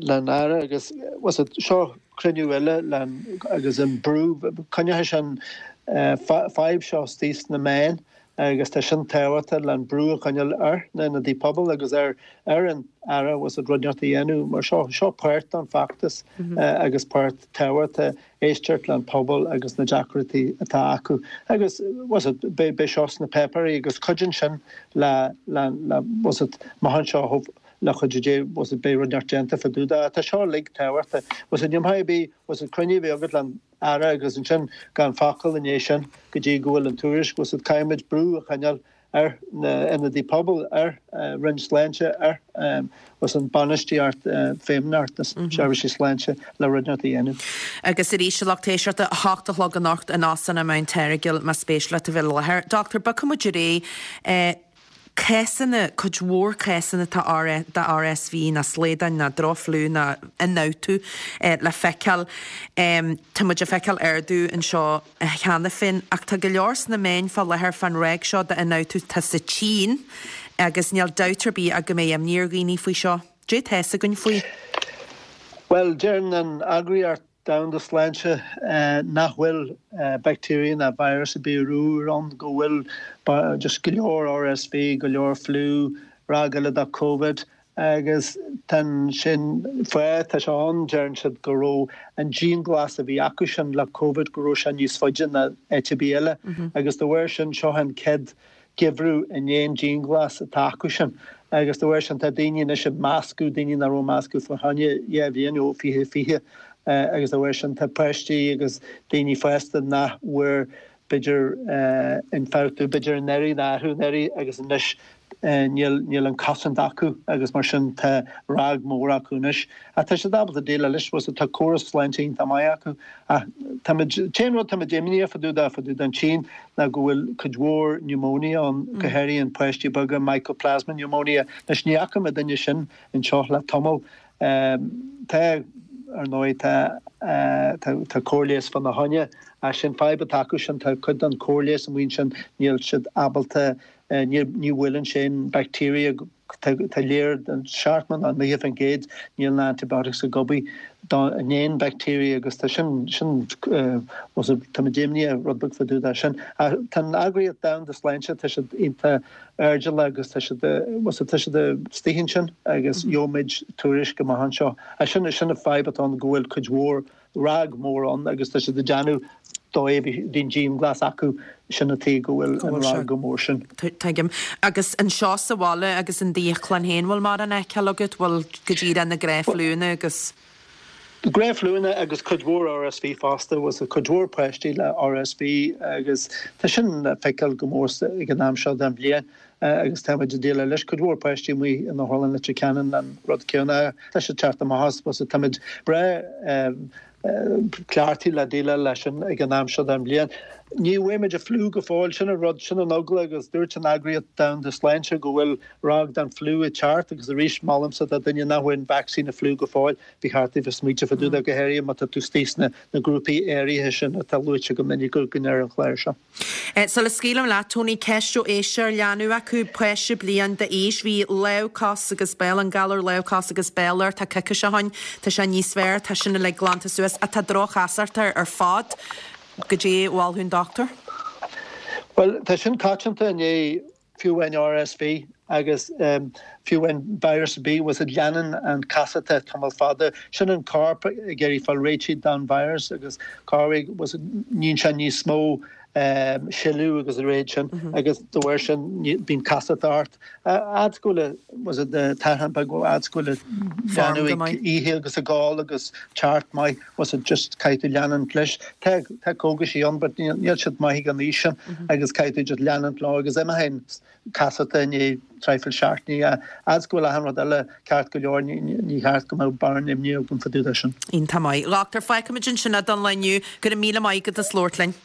len Aire agus bhfuil fhios a'd, seo cruinniú eile len agus an brú, coinneoidh sé an fadhb seo istigh sna meáin agus tá sin tábhachtach len brú a choinneáil ar na hionadaithe pobail agus ar ar an Aire bhfuil fhios a'd rud inteacht a dhéanamh mar seo, seo páirt den feachtas agus páirt tábhachtach. éisteacht len pobal agus na deacrachtaí atá acu agus bhfuil fhios a'd beidh seo sna páipéirí agus cuidíonn sin le le le bhfuil fhios a'd amach anseo le cuidiú Dé bhfuil fhios a'd beidh rud inteacht déanta fá dtaobh de. Tá seo uilig tábhachtach. Bhfuil fhios a'd ní maith ar bith bhfuil fhios a'd cruinniú a bheith agat len Aire agus ansin gan focal i ndiaidh sin go dtí go bhfuil an tuairisc bhfuil fhios a'd caithfidh muid brú a choinneáil ar na hionadaithe pobail, ar Roinn Sláinte, ar bhfuil fhios a'd bainistíocht Feidhmeannacht na Seirbhísí Sláinte le rud inteacht a dhéanamh. Agus arís, a lucht éisteachta, 8 a chlog anocht in Óstán an Mount Errigal, más spéis leat a bheith i láthair. Dochtúir, bogfaidh muid ar aghaidh. Cásanna, cuid mhór cásanna atá de RSV ná slaodáin ná droch-fhliú ná ionfhabhtú le feiceáil. Tá muid ag feiceáil ardú anseo cheana féin, ach tá go leor sna meáin fá láthair fán ráig seo d'ionfhabhtú atá sa tSín agus níl dabht ar bith ach go mbeidh imní ar dhaoine faoi seo. Dé tá fhios againn faoi? Bhuel, deireann an Eagraíocht Domhanda Sláinte nach bhfuil bacteria ná virus ar bith úr ann, go bhfuil just go leor RSV, go leor fliú, ráig eile de Covid, Agus tá sin fáth, tá sé ann, deireann siad go raibh an dianghlas a bhí acu sin le Covid, go raibh sé níos faide ná áit ar bith eile. Agus de bharr sin, seo an chéad gheimhreadh i ndiaidh an dianghlas atá acu sin. Agus de bharr sin, tá daoine anois ag meascadh, daoine nach raibh ag meascadh fá choinne 2 bhliain ó 2020. Agus de bharr sin, tá páistí agus daoine fásta nach bhfuair b'fhéidir ionfhabhtú, b'fhéidir anuraidh nó arú anuraidh agus anois níl, níl an cosaint acu agus mar sin tá ráig mór acu anois. Ach tá siad ábalta déileáil leis, bhfuil fhios a'd, tá córas sláinte iontach maith acu. Ach táimid, t-aon rud táimid imníoch fá dtaobh de, fá dtaobh den tSín ná go bhfuil cuid mhór pneumonia ann, go háirithe in páistí beaga, mycoplasma pneumonia. Anois ní fhaca mé duine sin anseo le tamall. Tá. ar ndóigh tá tá cóir leighis fá na choinne ach sin fadhb atá acu sin tá cuid den chóir leighis amuigh ansin níl siad ábalta ní ní bhuaileann sé an bacteria Tá léir den 70 nó 90% níl na antibiotics ag obair do an aon bacteria agus tá sin sin táimid imníoch rud beag fá dtaobh de sin. Ach tá an Eagraíocht Domhanda Sláinte tá siad iontach airdeallach agus tá siad tá siad istigh ansin agus gheobhaimid tuairisc amach anseo. Ach sin sin an fadhb atá ann go bhfuil cuid mhór RnaG mór ann agus tá siad ag déanamh dóigh bhí an dianghlas acu sin an tuige go bhfuil an RnaG chomh mór sin. Tuigim. Agus anseo sa bhaile agus in d'íoclann féin, bhfuil mórán á fheiceáil agat, bhfuil go díreach na gnáthfhliúnna agus. Gnáthfhliúnna agus cuid mhór RSV fosta, bhfuil cuid mhór páistí le RSV agus tá sin le feiceáil go mór ag an am seo den bhliain. agus tá muid ag déileáil leis. Cuid mhór páistí amuigh in Otharlann Leitir Ceanainn an rud céanna. Tá siad teacht amach as, bhuel táimid breá cleachtaithe le déileáil leis sin ag an am seo den bhliain. Ní bhfaighimid an fliú go fóill, sin an rud, sin an eagla agus dúirt an Eagraíocht Domhanda Sláinte go bhfuil RnaG den fliú ag teacht agus arís molaimse do duine nach bhfuair an vacsaín an fliú go fóill, ba cheart daoibh smaointeamh fá dtaobh de, go háirithe má tá tú istigh sna grúpaí áirithe sin atá luaite go minic againn ar an chlár seo. Sula scaoilim leat, Tony, ceist ó éisteoir, leanbh acu, páiste bliain d'aois, bhí lámh, cos agus béal, an galar lámh, cos agus béal air, tá coicís ó shoin, tá sé níos fearr, tá sin uilig glanta suas, ach tá droch-chasacht air ar fad. Goidé a mholfadh an dochtúir? Bhuel, tá sin coitianta i ndiaidh fiú amháin RSV agus fiú amháin virus ar bith, bhfuil a fhios agat leanann an chasacht tamall fada. Sin an corp ag iarraidh fáil réitithe don virus agus corruair, bhfuil a fhios agat, níonn sé níos mó sileadh agus a leithéid sin agus de bharr sin bíonn casacht ort. Fhad go bhfuil, bhfuil a fhios agat, tathán beag, fhad go bhfuil leanbh ag ithe agus ag ól agus ceart maith. Bhfuil a fhios agat just caithfidh tú leanúint leis. Tá tá cógaisí ann but níl níl siad maith ag an aois sin agus caithfidh tú just leanúint leo agus imeoidh an chasacht i ndiaidh traidhfil seachtainí. Fhad go bhfuil achan rud eile ceart go leor ní ní cheart go mbeadh mórán imní agam fá dtaobh de sin. Iontach maith. A dhochtúir, fágfaimid ansin é don lá inniu. Go raibh míle maith agat as labhairt linn.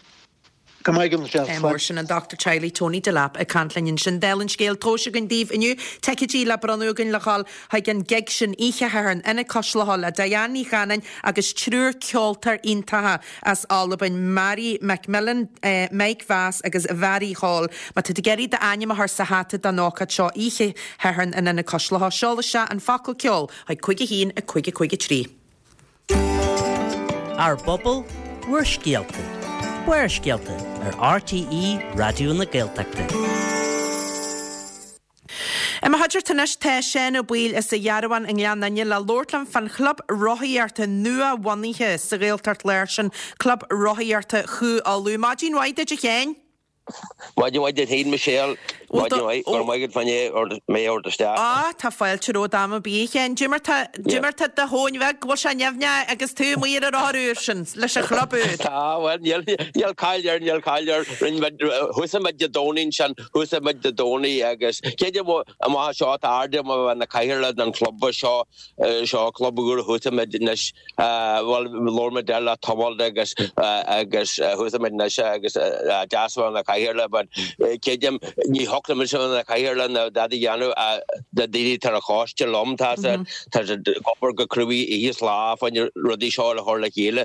Go maith agat Michelle. Mór sin an Dochtúir Teaghlaigh Tony Delap ag caint linn ansin. Dála an scéil, tomhais againn daoibh inniu. Ticéidí le bronnadh againn le dhul chuig an gig sin oíche Shathairn in Ionad Cois Locha le Diane Ní Chanainn agus triúr ceoltóir iontacha as Albain, Màiri McMillan, Mike Vass agus Mhairi Hall. Má tá tú ag iarraidh d'ainm a chur sa hata don ócáid seo oíche Shathairn in Ionad Cois Locha, seol isteach an focal ceol chuig 5 1 5 5 3. Ár bpobal, bhur scéalta. Barrscéalta ar RTÉ Raidió na Gaeltachta. I mo chuideachta anois tá Seán Ó Baoill as an Ghearabhán i nGleann Fhinne le labhairt liom fán chlub rothaíochta nua-bhunaithe sa Ghaeltacht Láir sin, Club Rothaíochta Chú Uladh. Maidin mhaith duit a Sheáin! Maidin mhaith duit féin, Michelle. Maidin mhaith. Go raibh maith agat fá choinne mé a thabhairt isteach. Á, tá fáilte romhat am ar bith, a Sheáin. Goidé mar tá, goidé mar tá do thóin bheag, bhfuil sé nimhneach agus tú amuigh ar an rothar úr sin leis an chlub úr? Tá, bhuel, níl, níl caill air, níl caill air. Rinne muid, thosaigh muid Dé Domhnaigh ansin, thosaigh muid Dé Domhnaigh agus creidim amach seo tá airde na cathaoirleach den chlub seo, seo club úr a thosaigh muid anois. Bhuel, labhair muid air le tamall agus agus thosaigh muid anois agus deas a bheith ina chathaoirleach but creidim ní thiocfadh liomsa a bheith ina chathaoirleach ná dada a dhéanamh na daoine atá ar an choiste liom tá siad tá siad ag obair go cruaidh oíche is lá fá choinne rudaí seo a chur le chéile.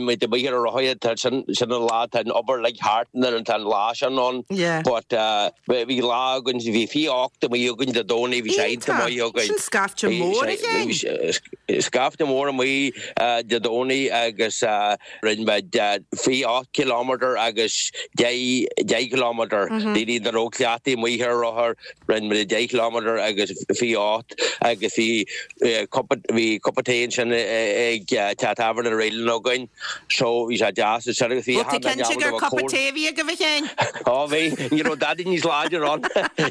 Muid amuigh ar an rothaithe tá sin sin an lá tá an obair uilig thart nuair atá an lá sin ann but bhí lá againn bhí 28 amuigh againn Dé Domhnaigh bhí sé iontach maith againn. Sin scaifte mór a Sheáin. Scaifte mór amuigh Dé Domhnaigh agus rinne muid 28 kilometre agus 10 kilometre. Daoine nach raibh cleachtaithe amuigh ar rothar, rinne muid 10 kilometre agus 28 agus bhí cupa bhí cupa tae ansin ag teach tábhairne Raylan againn so bhí sé deas ansin agus bhí Bhfuil tú cinnte gur cupa tae a bhí agaibh a Sheáin? Ó bhí, ní raibh dadaí níos láidir ann,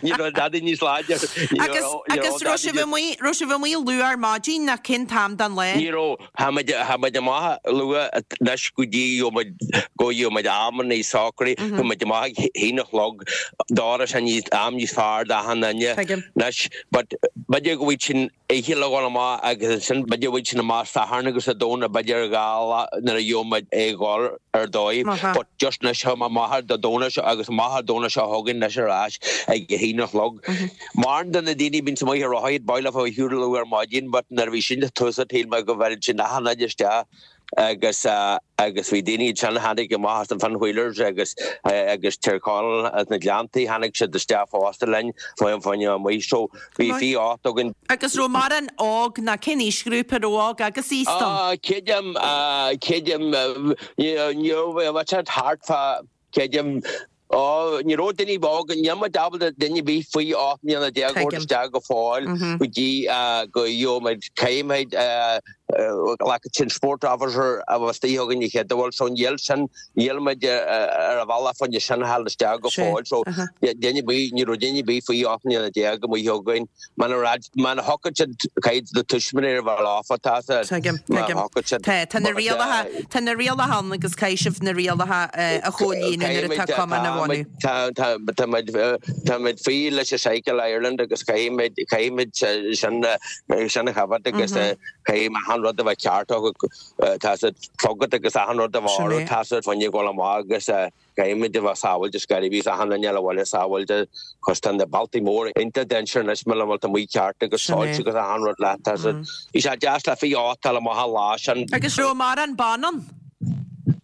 ní raibh dadaí níos láidir. Agus, agus raibh sibh amuigh, raibh sibh amuigh luath ar maidin nó cén t-am den lá? Ní raibh, tha muid, tha muid amach luath anois go dtí go muid, go dtí muid amannaí socraithe, tha muid amach. amach ag haon a chlog d'fhógra sin níos am níos fearr d'achan duine. Tuigim. Anois but b'fhéidir go bhfuil sin oíche le dhul amach agus ansin b'fhéidir bhfuil sin amach Satharn agus Dé Domhnaigh b'fhéidir dhá lá nuair a gheobhaidh muid é dhul ar dóigh but just anois tá mé amach ar Dé Domhnaigh seo agus amach ar Domhnach seo chugainn anois ar ais ag a haon a chlog. Mórán de na daoine a bhíonns amuigh ar rothaíocht b'áil leofa a shiúl luath ar maidin but nuair a bhí sin tús shíl mé go bhfeileann sin achan áit isteach agus agus bhí daoine ansin a tháinig amach as an Finn Wheelers agus agus Tír Chonaill as na Gleanntaí tháinig siad isteach fosta linn fá choinne amuigh so bhí 28 againn. Agus raibh mórán óg ná cén aoisghrúpa raibh óg agus aosta ann? Ah creidim creidim ní raibh bhí siad thart fá creidim Ó, ní raibh duine óg, níl muid ábalta duine ar bith faoi 18 mbliana a thabhairt isteach go fóill go dtí go gheobhaidh muid caithfimid like sin sport officer a bheith istigh againn an chéad bhfuil so níl sin, níl muid ar an bhealach fá choinne sin a fháil isteach go fóill so duine ar bith, ní raibh duine ar bith faoi 18 mbliana amuigh againn. Muna raibh, muna thiocfadh siad, caithfidh na tuismitheoirí a bheith leofa, tá siad, Tuigim, má tuigim. thiocfadh siad, Tá, tá na but, rialacha, tá na rialacha ann agus caithfidh sibh na rialacha a chomhlíonadh nuair atá Caithfimid, cumann á tá bhunú. muid, tá, tá, tá muid, tá muid faoi leis an Cycle Ireland agus caithfimid, caithfimid sin, sin a choimhéad agus caithfidh achan rud a bheith ceart acu, tá siad clogad agus achan rud a bheith Sin orthu, é. tá siad fá choinne dhul amach agus. Caithfimid a bheith sábháilte is go bhí achan duine eile abhaile sábháilte cos tá na bealtaí móra iontach dainséarach anois muna bhfuil tú amuigh ceart agus Sin é. soilse agus achan rud leat tá siad Bhí sé deas le 28 a fháil amach an lá sin. Agus raibh mórán ban ann?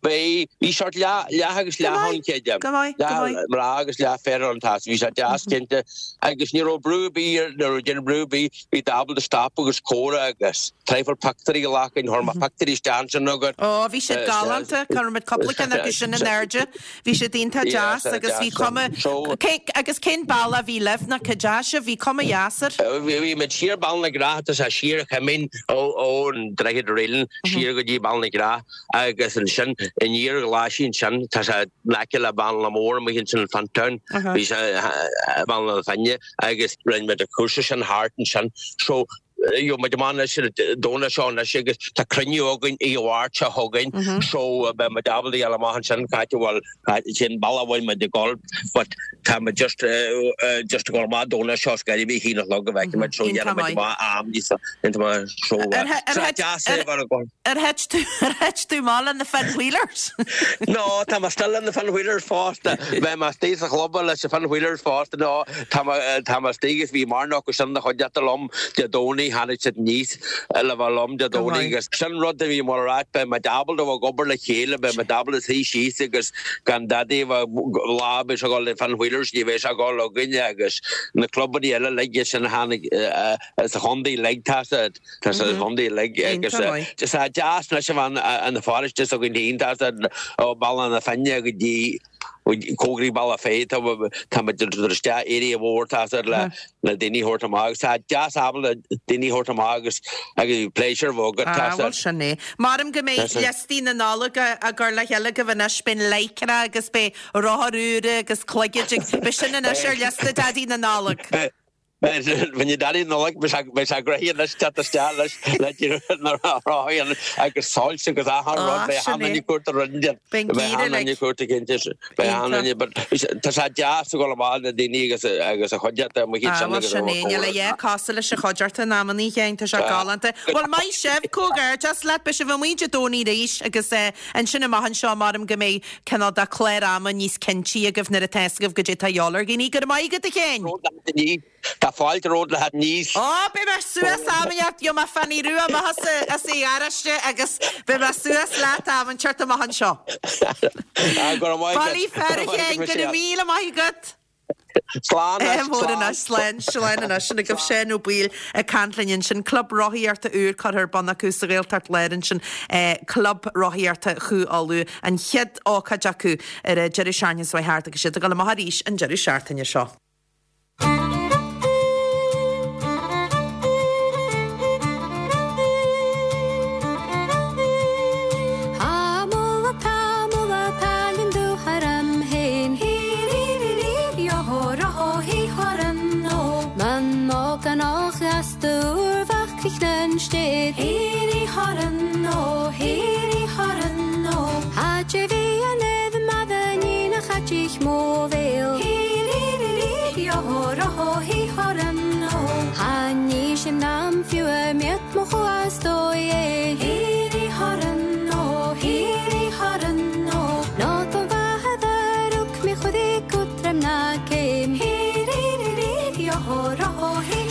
Bhí, bhí sort leath, leath agus Go leath maith, ann creidim. go maith, go Leath maith. mná agus leath fir ann tá bhí sé deas cinnte agus ní raibh brú ar bith ar, ní raibh déanamh brú ar bith, bhí tú ábalta stop agus comhrá agus traidhfil pictiúirí a ghlacadh, chuir mé pictiúirí isteach ansin agat. Ó, bhí siad galánta, chuir muid cúpla ceann acu sin in airde. Bhí siad iontach deas agus bhí cuma, cé, agus cén bealach a bhí libh nó cá dteachaigh sibh, bhí cuma dheas air. Bhí muid siar Bealach na gCreach, tá sé siar an Choimín ón Droichead Raolann siar go dtí Bealach na gCreach agus ansin aniar Ghlaisín ansin, tá sé in aice le Bealach Mór amuigh ansin in Fintown, bhí sé Bealach na Finne. agus rinne muid an cúrsa sin thart ansin. So, gheobhaidh muid amach anois ar an Domhnach seo anois agus tá cruinniú againn oíche Mháirt seo chugainn so beidh muid ábalta a dhul amach ansin cá háit a bhfuil, cén bealach a bhfuil muid ag dul but tá muid just just ag dul amach Domhnach seo is go dtí a haon a chlog go bhfeicfidh muid so dhéanfaidh muid amach am níos so so deas é bheith ag dul. Ar thit tú, ar thit tú amach le na Finn Wheelers? No, tá mé still le na Finn Wheelers fosta. Beidh mé istigh sa chlub leis na Finn Wheelers fosta. No, tá mé, tá mé istigh agus bhí mórán acu sin ina chuideachta liom Dé Domhnaigh, tháinig siad aníos le bheith liom Dé Go Domhnaigh maith. agus sin rud a bhí mar a ráit, beidh muid ábalta a bheith ag obair le chéile, beidh muid ábalta suí síos agus gan dadaí a bheith, lá beidh sé ag dul le Finn Wheelers, ní bheidh sé ag dul againne agus na clubanna eile uilig sin a tháinig sa chontae uilig, tá siad. Tá sa chontae uilig agus tá sé deas anois a bheith ina pharóiste s'againn féin, tá sé ó Bealach na Finne go dtí cóngaraí Bealach Féich, tá muid ag dul isteach area mhór tá sé le le daoine a thabhairt amach agus tá deas ábalta daoine a thabhairt amach agus agus pléisiúr a bheith agat Ah, tá sé. bhuel sin é. Maram go mbeidh liostaí na Nollag á gcur le chéile agaibh anois, beidh an lycra agus beidh rothair úra agus cloigid agus beidh sin anois ar liosta Daidí na Nollag. Bhí Daidí na Nollag, beidh sé gnoitheach anois teacht isteach leis le na rothaí agus soilse agus achan rud, beidh achan duine ag cuartú roinnt de. Beidh Beidh achan duine ag cuartú cinnte, beidh achan duine, but tá sé deas a dhul amach le daoine agus agus a chuideachta amuigh Ah, ansin bhuel agus sin é, níl a dhath cosúil leis an chuideachta in amannaí, Sheáin, tá sé galánta. Bhuel, maith sibh, comhghairdeas leat, beidh sibh amuigh Dé Domhnaigh arís agus ansin amach anseo, maram go mbeidh cineál de clár ama níos cinntí agaibh nuair atá fhios agaibh goidé atá a dhíobháil ar dhaoine. Go raibh maith agat, a Sheáin! Tá fáilte romhat le theacht aníos. Ó, beidh mé suas am inteacht, gheobhaidh mé Fanny Rua amach as an gharáiste agus beidh mé suas leat am inteacht amach anseo. Go raibh maith agat. Bailí fear, a Sheáin, go raibh míle maith agat! Slán anois, Mór slán. anois, slán, slán anois. Sin agaibh Seán Ó Baoill ag caint linn ansin. Club rothaíochta úr curtha ar bun acu sa Ghaeltacht Láir ansin, Club Rothaíochta Chú Uladh. An chéad ócáid acu ar an deireadh seachtaine seo thart agus iad ag dul amach arís an deireadh seachtaine seo.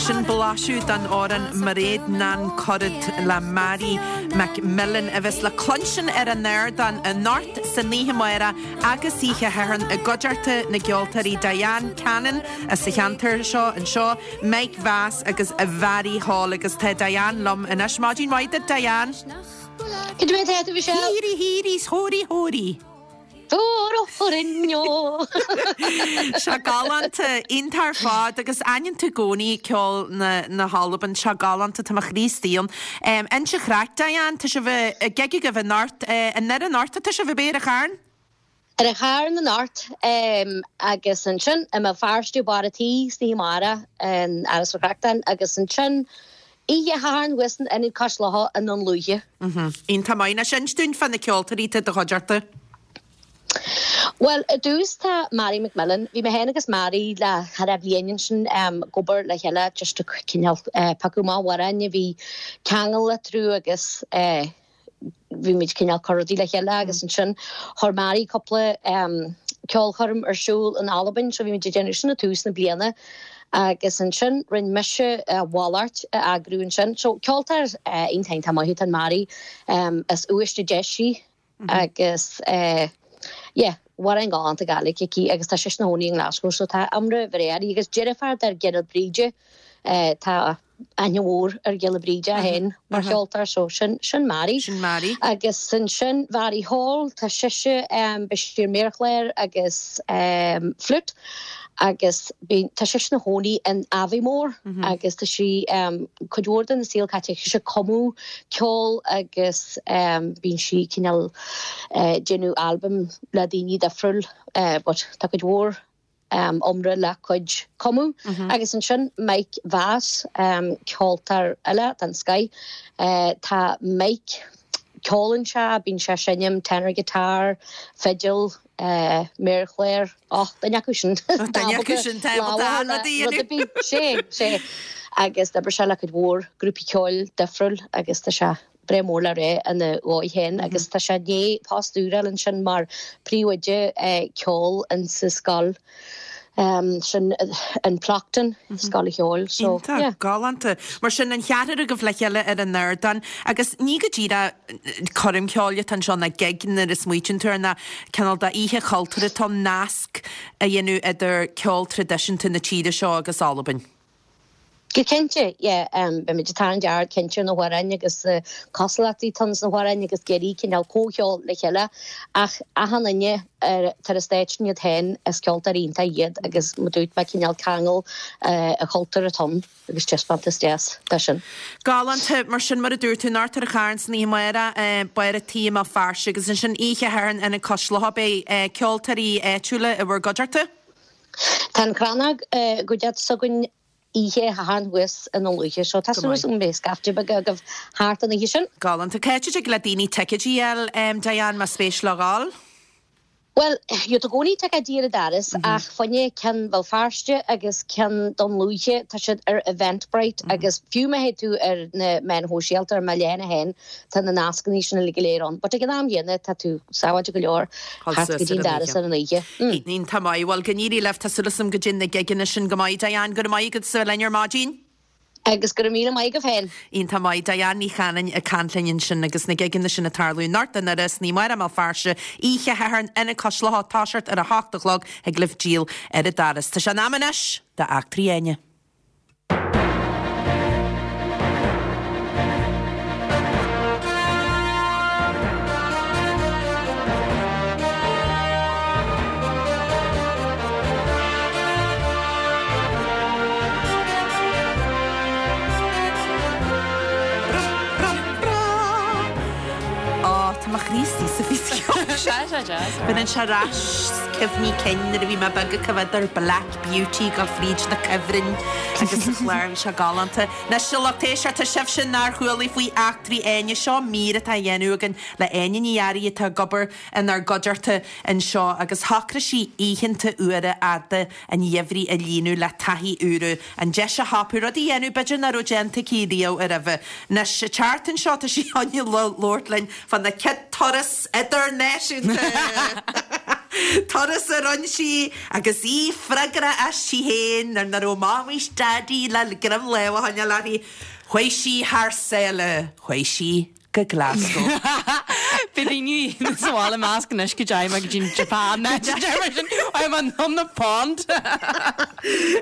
Sin blaiseadh den amhrán Mairéad nan Curad le Màiri McMillan a bheas le cluinstin ar an ardán anocht san oíche amárach agus oíche Shathairn i gcuideachta na gceoltóirí Diane Cannon as an cheantar seo anseo, Mike Vass agus Mhairi Hall agus tá Diane liom anois. Maidin mhaith duit Diane! Cad é mar atá tú Michelle? Hírí hírí 's hóraí hóraí! Sé galánta, iontach ar fad agus aithníonn tú i gcónaí ceol na hAlban, sé galánta, tá mo chroí istigh ann. Inis an chraic, Diane, tá sibh ag gig agaibh anocht, i nDoire anocht atá sibh, ab é, ar an Charn? Ar an Charn anocht agus ansin i mBéal Feirste, Barr a' Tí, san oíche amárach in Áras an Chreachtáin agus ansin Oíche Shathairn thuas in Ionad Cois Locha i nDún Lúiche. Iontach maith. Anois inis dúinn fá na ceoltóirí atá i do chuideachta. Bhuel, i dtús tá Màiri McMillan. Bhí mé féin agus Màiri le thar a bhliain ansin ag obair le chéile just ag cineál piocadh amach amhráin a bhí ceangal eatarthu agus bhí muid cineál cur rudaí le chéile agus ansin chuir Màiri cúpla ceolchoirm ar siúl in Albain so bhí muid ag déanamh sin i tús na bliana agus ansin rinne mise a mhalairt a eagrú ansin. So ceoltóir iontach iontach maith atá in Màiri as Uibhist a Deis í agus yeah amhráin galánta Gàidhlig aici agus tá sise ina chónaí i nGlasgow so tá iomrá bhreá uirthi agus deirfiúr do Ghiolla Bríde tá aithne mhór ar Ghiolla Bríde é féin mar cheoltóir so sin sin Màiri. Sin Màiri. Agus ansin Mhairi Hall, tá sise beidh sí ar méarchlár agus flute agus bíonn tá sise ina chónaí in Aviemore agus tá sí cuid mhór den saol caite aici ag cumadh ceol agus bíonn sí cineál déanamh albaim le daoine difriúil but tá cuid mhór iomrá lena cuid cumadh. Agus ansin Mike Vass, ceoltóir eile den scoith. Tá Mike, ceolann sé, bíonn sé ag seinm tenor guitar, fidil, méarchlár, och, duine acu sin. Duine acu sin, tá ábalta an rud a dhéanamh. Rud ar bith, sé, sé. Agus d'oibrigh sé le cuid mhór grúpaí ceoil difriúil agus tá sé breá mór le rá ina dhóigh féin agus tá sé i ndiaidh post úr a fháil ansin mar phríomhoide ceoil insa scoil sin in Plockton, scoil cheoil. So, Iontach, yeah. galánta. Mar sin, an cheathrar agaibh le chéile ar an ardán agus ní go díreach coirm cheoil atá anseo ná gig nuair a smaoitíonn tú air ná cineál d'oíche chultúrtha atá ann nasc a dhéanamh idir ceol traidisiúnta na tíre seo agus Albain. Go cinnte, yeah. Beimid ag tarraingt aird cinnte ar na hamhráin agus na cosúlachtaí atá sna hamhráin agus ag iarraidh cineál comhcheol le chéile ach achan duine atá ar an stáitse iad féin is ceoltóirí iontach iad agus mar dúirt mé cineál ceangal an chultúir atá ann agus taispeántas deas de sin. Galánta, mar sin mar a dúirt tú, anocht ar an Charn san oíche amárach, Barr a' Tí i mBéal Feirste agus ansin oíche Shathairn in Ionad Cois Locha beidh ceoltóirí áitiúla i bhur gcuideachta. Tá an Crannog i gcuideachta s'againn oíche Shathairn thuas i nDún Lúiche so tá súil agam go mbeidh scaifte beag agaibh thart an oíche sin. Galánta. Cá háit a dtig le daoine ticéidí a fháil, Diane, más spéis leo dhul? Bhuel, gheobhaidh tú i gcónaí ticéidí ar an doras ach fá choinne ceann Bhéal Feirste agus ceann Dún Lúiche tá siad ar Eventbrite agus fiú má théid tú ar na meáin shóisialta ar mo leathanach féin Tá na nascanna sin uilig go léir ann. But ag an am chéanna, tá tú sábháilte go leor theacht go dtí an doras ar an oíche. Iontach maith. Bhuel, go n-éirí libh. Tá súil agam go dtéann na gigeanna sin go maith. Diane, go raibh maith agat as a bheith linn ar maidin. Agus go raibh míle maith agaibh féin. Iontach maith. Diane Ní Chanainn ag caint linn ansin agus na gigeanna sin ag tarlú anocht i nDoire, san oíche amárach i mBéal Feirste, oíche Shathairn, Ionad Cois Locha, toiseacht ar a hocht a chlog, thig libh díol ar an doras. Tá sé in am anois d'Eachtraí Áine. Ó, tá mo chroí istigh sa phíosa ceoil sin. Baineann sé ar ais cuimhní cinn nuair a bhí mé beag ag coimhéad ar Black Beauty ag dul fríd na cuibhrinn. agus sa chlár, bhí sé galánta. Anois a lucht éisteachta, sibhse nár chualaidh faoi Eachtraí Áine, seo mír atá á dhéanamh againn le Áine Ní Fhearraigh atá ag obair inár gcuideachta anseo agus shocraigh sí oícheanta fhuara fhada an gheimhridh a líonadh le taithí úra, an deis a thapú rud a dhéanamh b'fhéidir nach raibh déanta aici riamh roimhe. Anois, an tseachtain seo tá sí chun labhairt linn fána céad turas idirnáisiúnta! Turas a rinne sí agus í freagrach aisti féin nuair nach raibh Mamaí 's Daidí le greim láimhe a choinneáil uirthi. Chuaigh sí thar sáile, chuaigh sí go Glasgow. Bhí daoine sa bhaile ag meas anois go dteachaigh mé go dtí an Japan nó mar sin I'm on on the pond.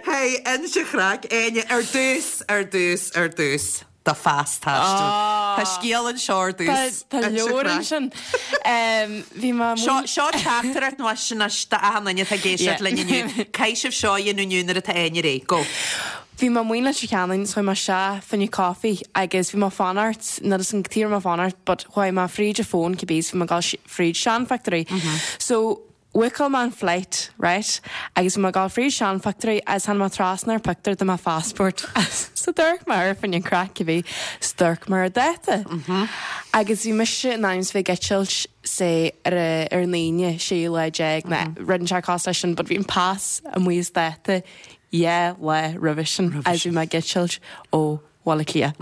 Hey, inis an chraic, Áine, ar dtús, ar dtús, ar dtús, do phas taistil. Tá scéal anseo ar dtús. Tá leor ansin. Bhí mé Seo, seo teachtaireacht nó sin anois d'achan duine atá ag éisteacht linn inniu. Caithfidh sibh seo a dhéanamh inniu nuair atá Áine réidh. Go. Bhí mé amuigh in Leitir Ceanainn so chuaigh mé isteach fá choinne coffee agus bhí mé ag fanacht, níl 'fhios a'm cad chuige a raibh mé ag fanacht but chuaigh mé fríd an phone cibé is bhí mé ag dul fríd seanphictiúirí. So bhookáil mé an flight right agus bhí mé ag dul fríd seanphictiúirí agus tháinig mé trasna ar pictiúr de mo phassport so d'amharc mé air fá choinne craic cibé 's d'amharc mé ar an dáta agus bhí mise in ainm is bheith ag eitilt say ar ar an Aoine 16 lá nó rud inteacht cosúil leis sin but bhí an pas amuigh as dáta 2 lá roimhe sin agus bhí mé ag eitilt ó Bhaile Átha Cliath.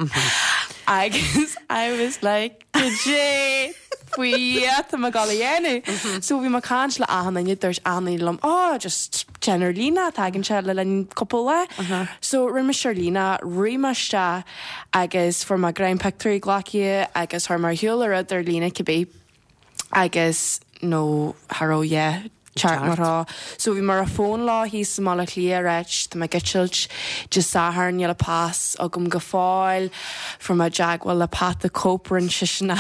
Agus I was like goidé faoi Dhia tá mé ag dul a dhéanamh. So bhí mé ag caint le achan duine, dúirt achan duine liom oh just déan ar líne, tagann sé le linn cúpla lá. So rinne mise ar líne, rith mé isteach agus fuair mé greim pictiúirí glactha agus chuir mé ar shiúl an rud ar líne cibé. agus nó cha raibh yeah teacht mar rá. So bhí mé ar an phone leo thíos i mBaile Átha Cliath ag ráit tá mé ag eitilt Dé Sathairn níl an pas agam go fóill. Fuair mé i dteagmháil le Pat the Cope rinne seisean a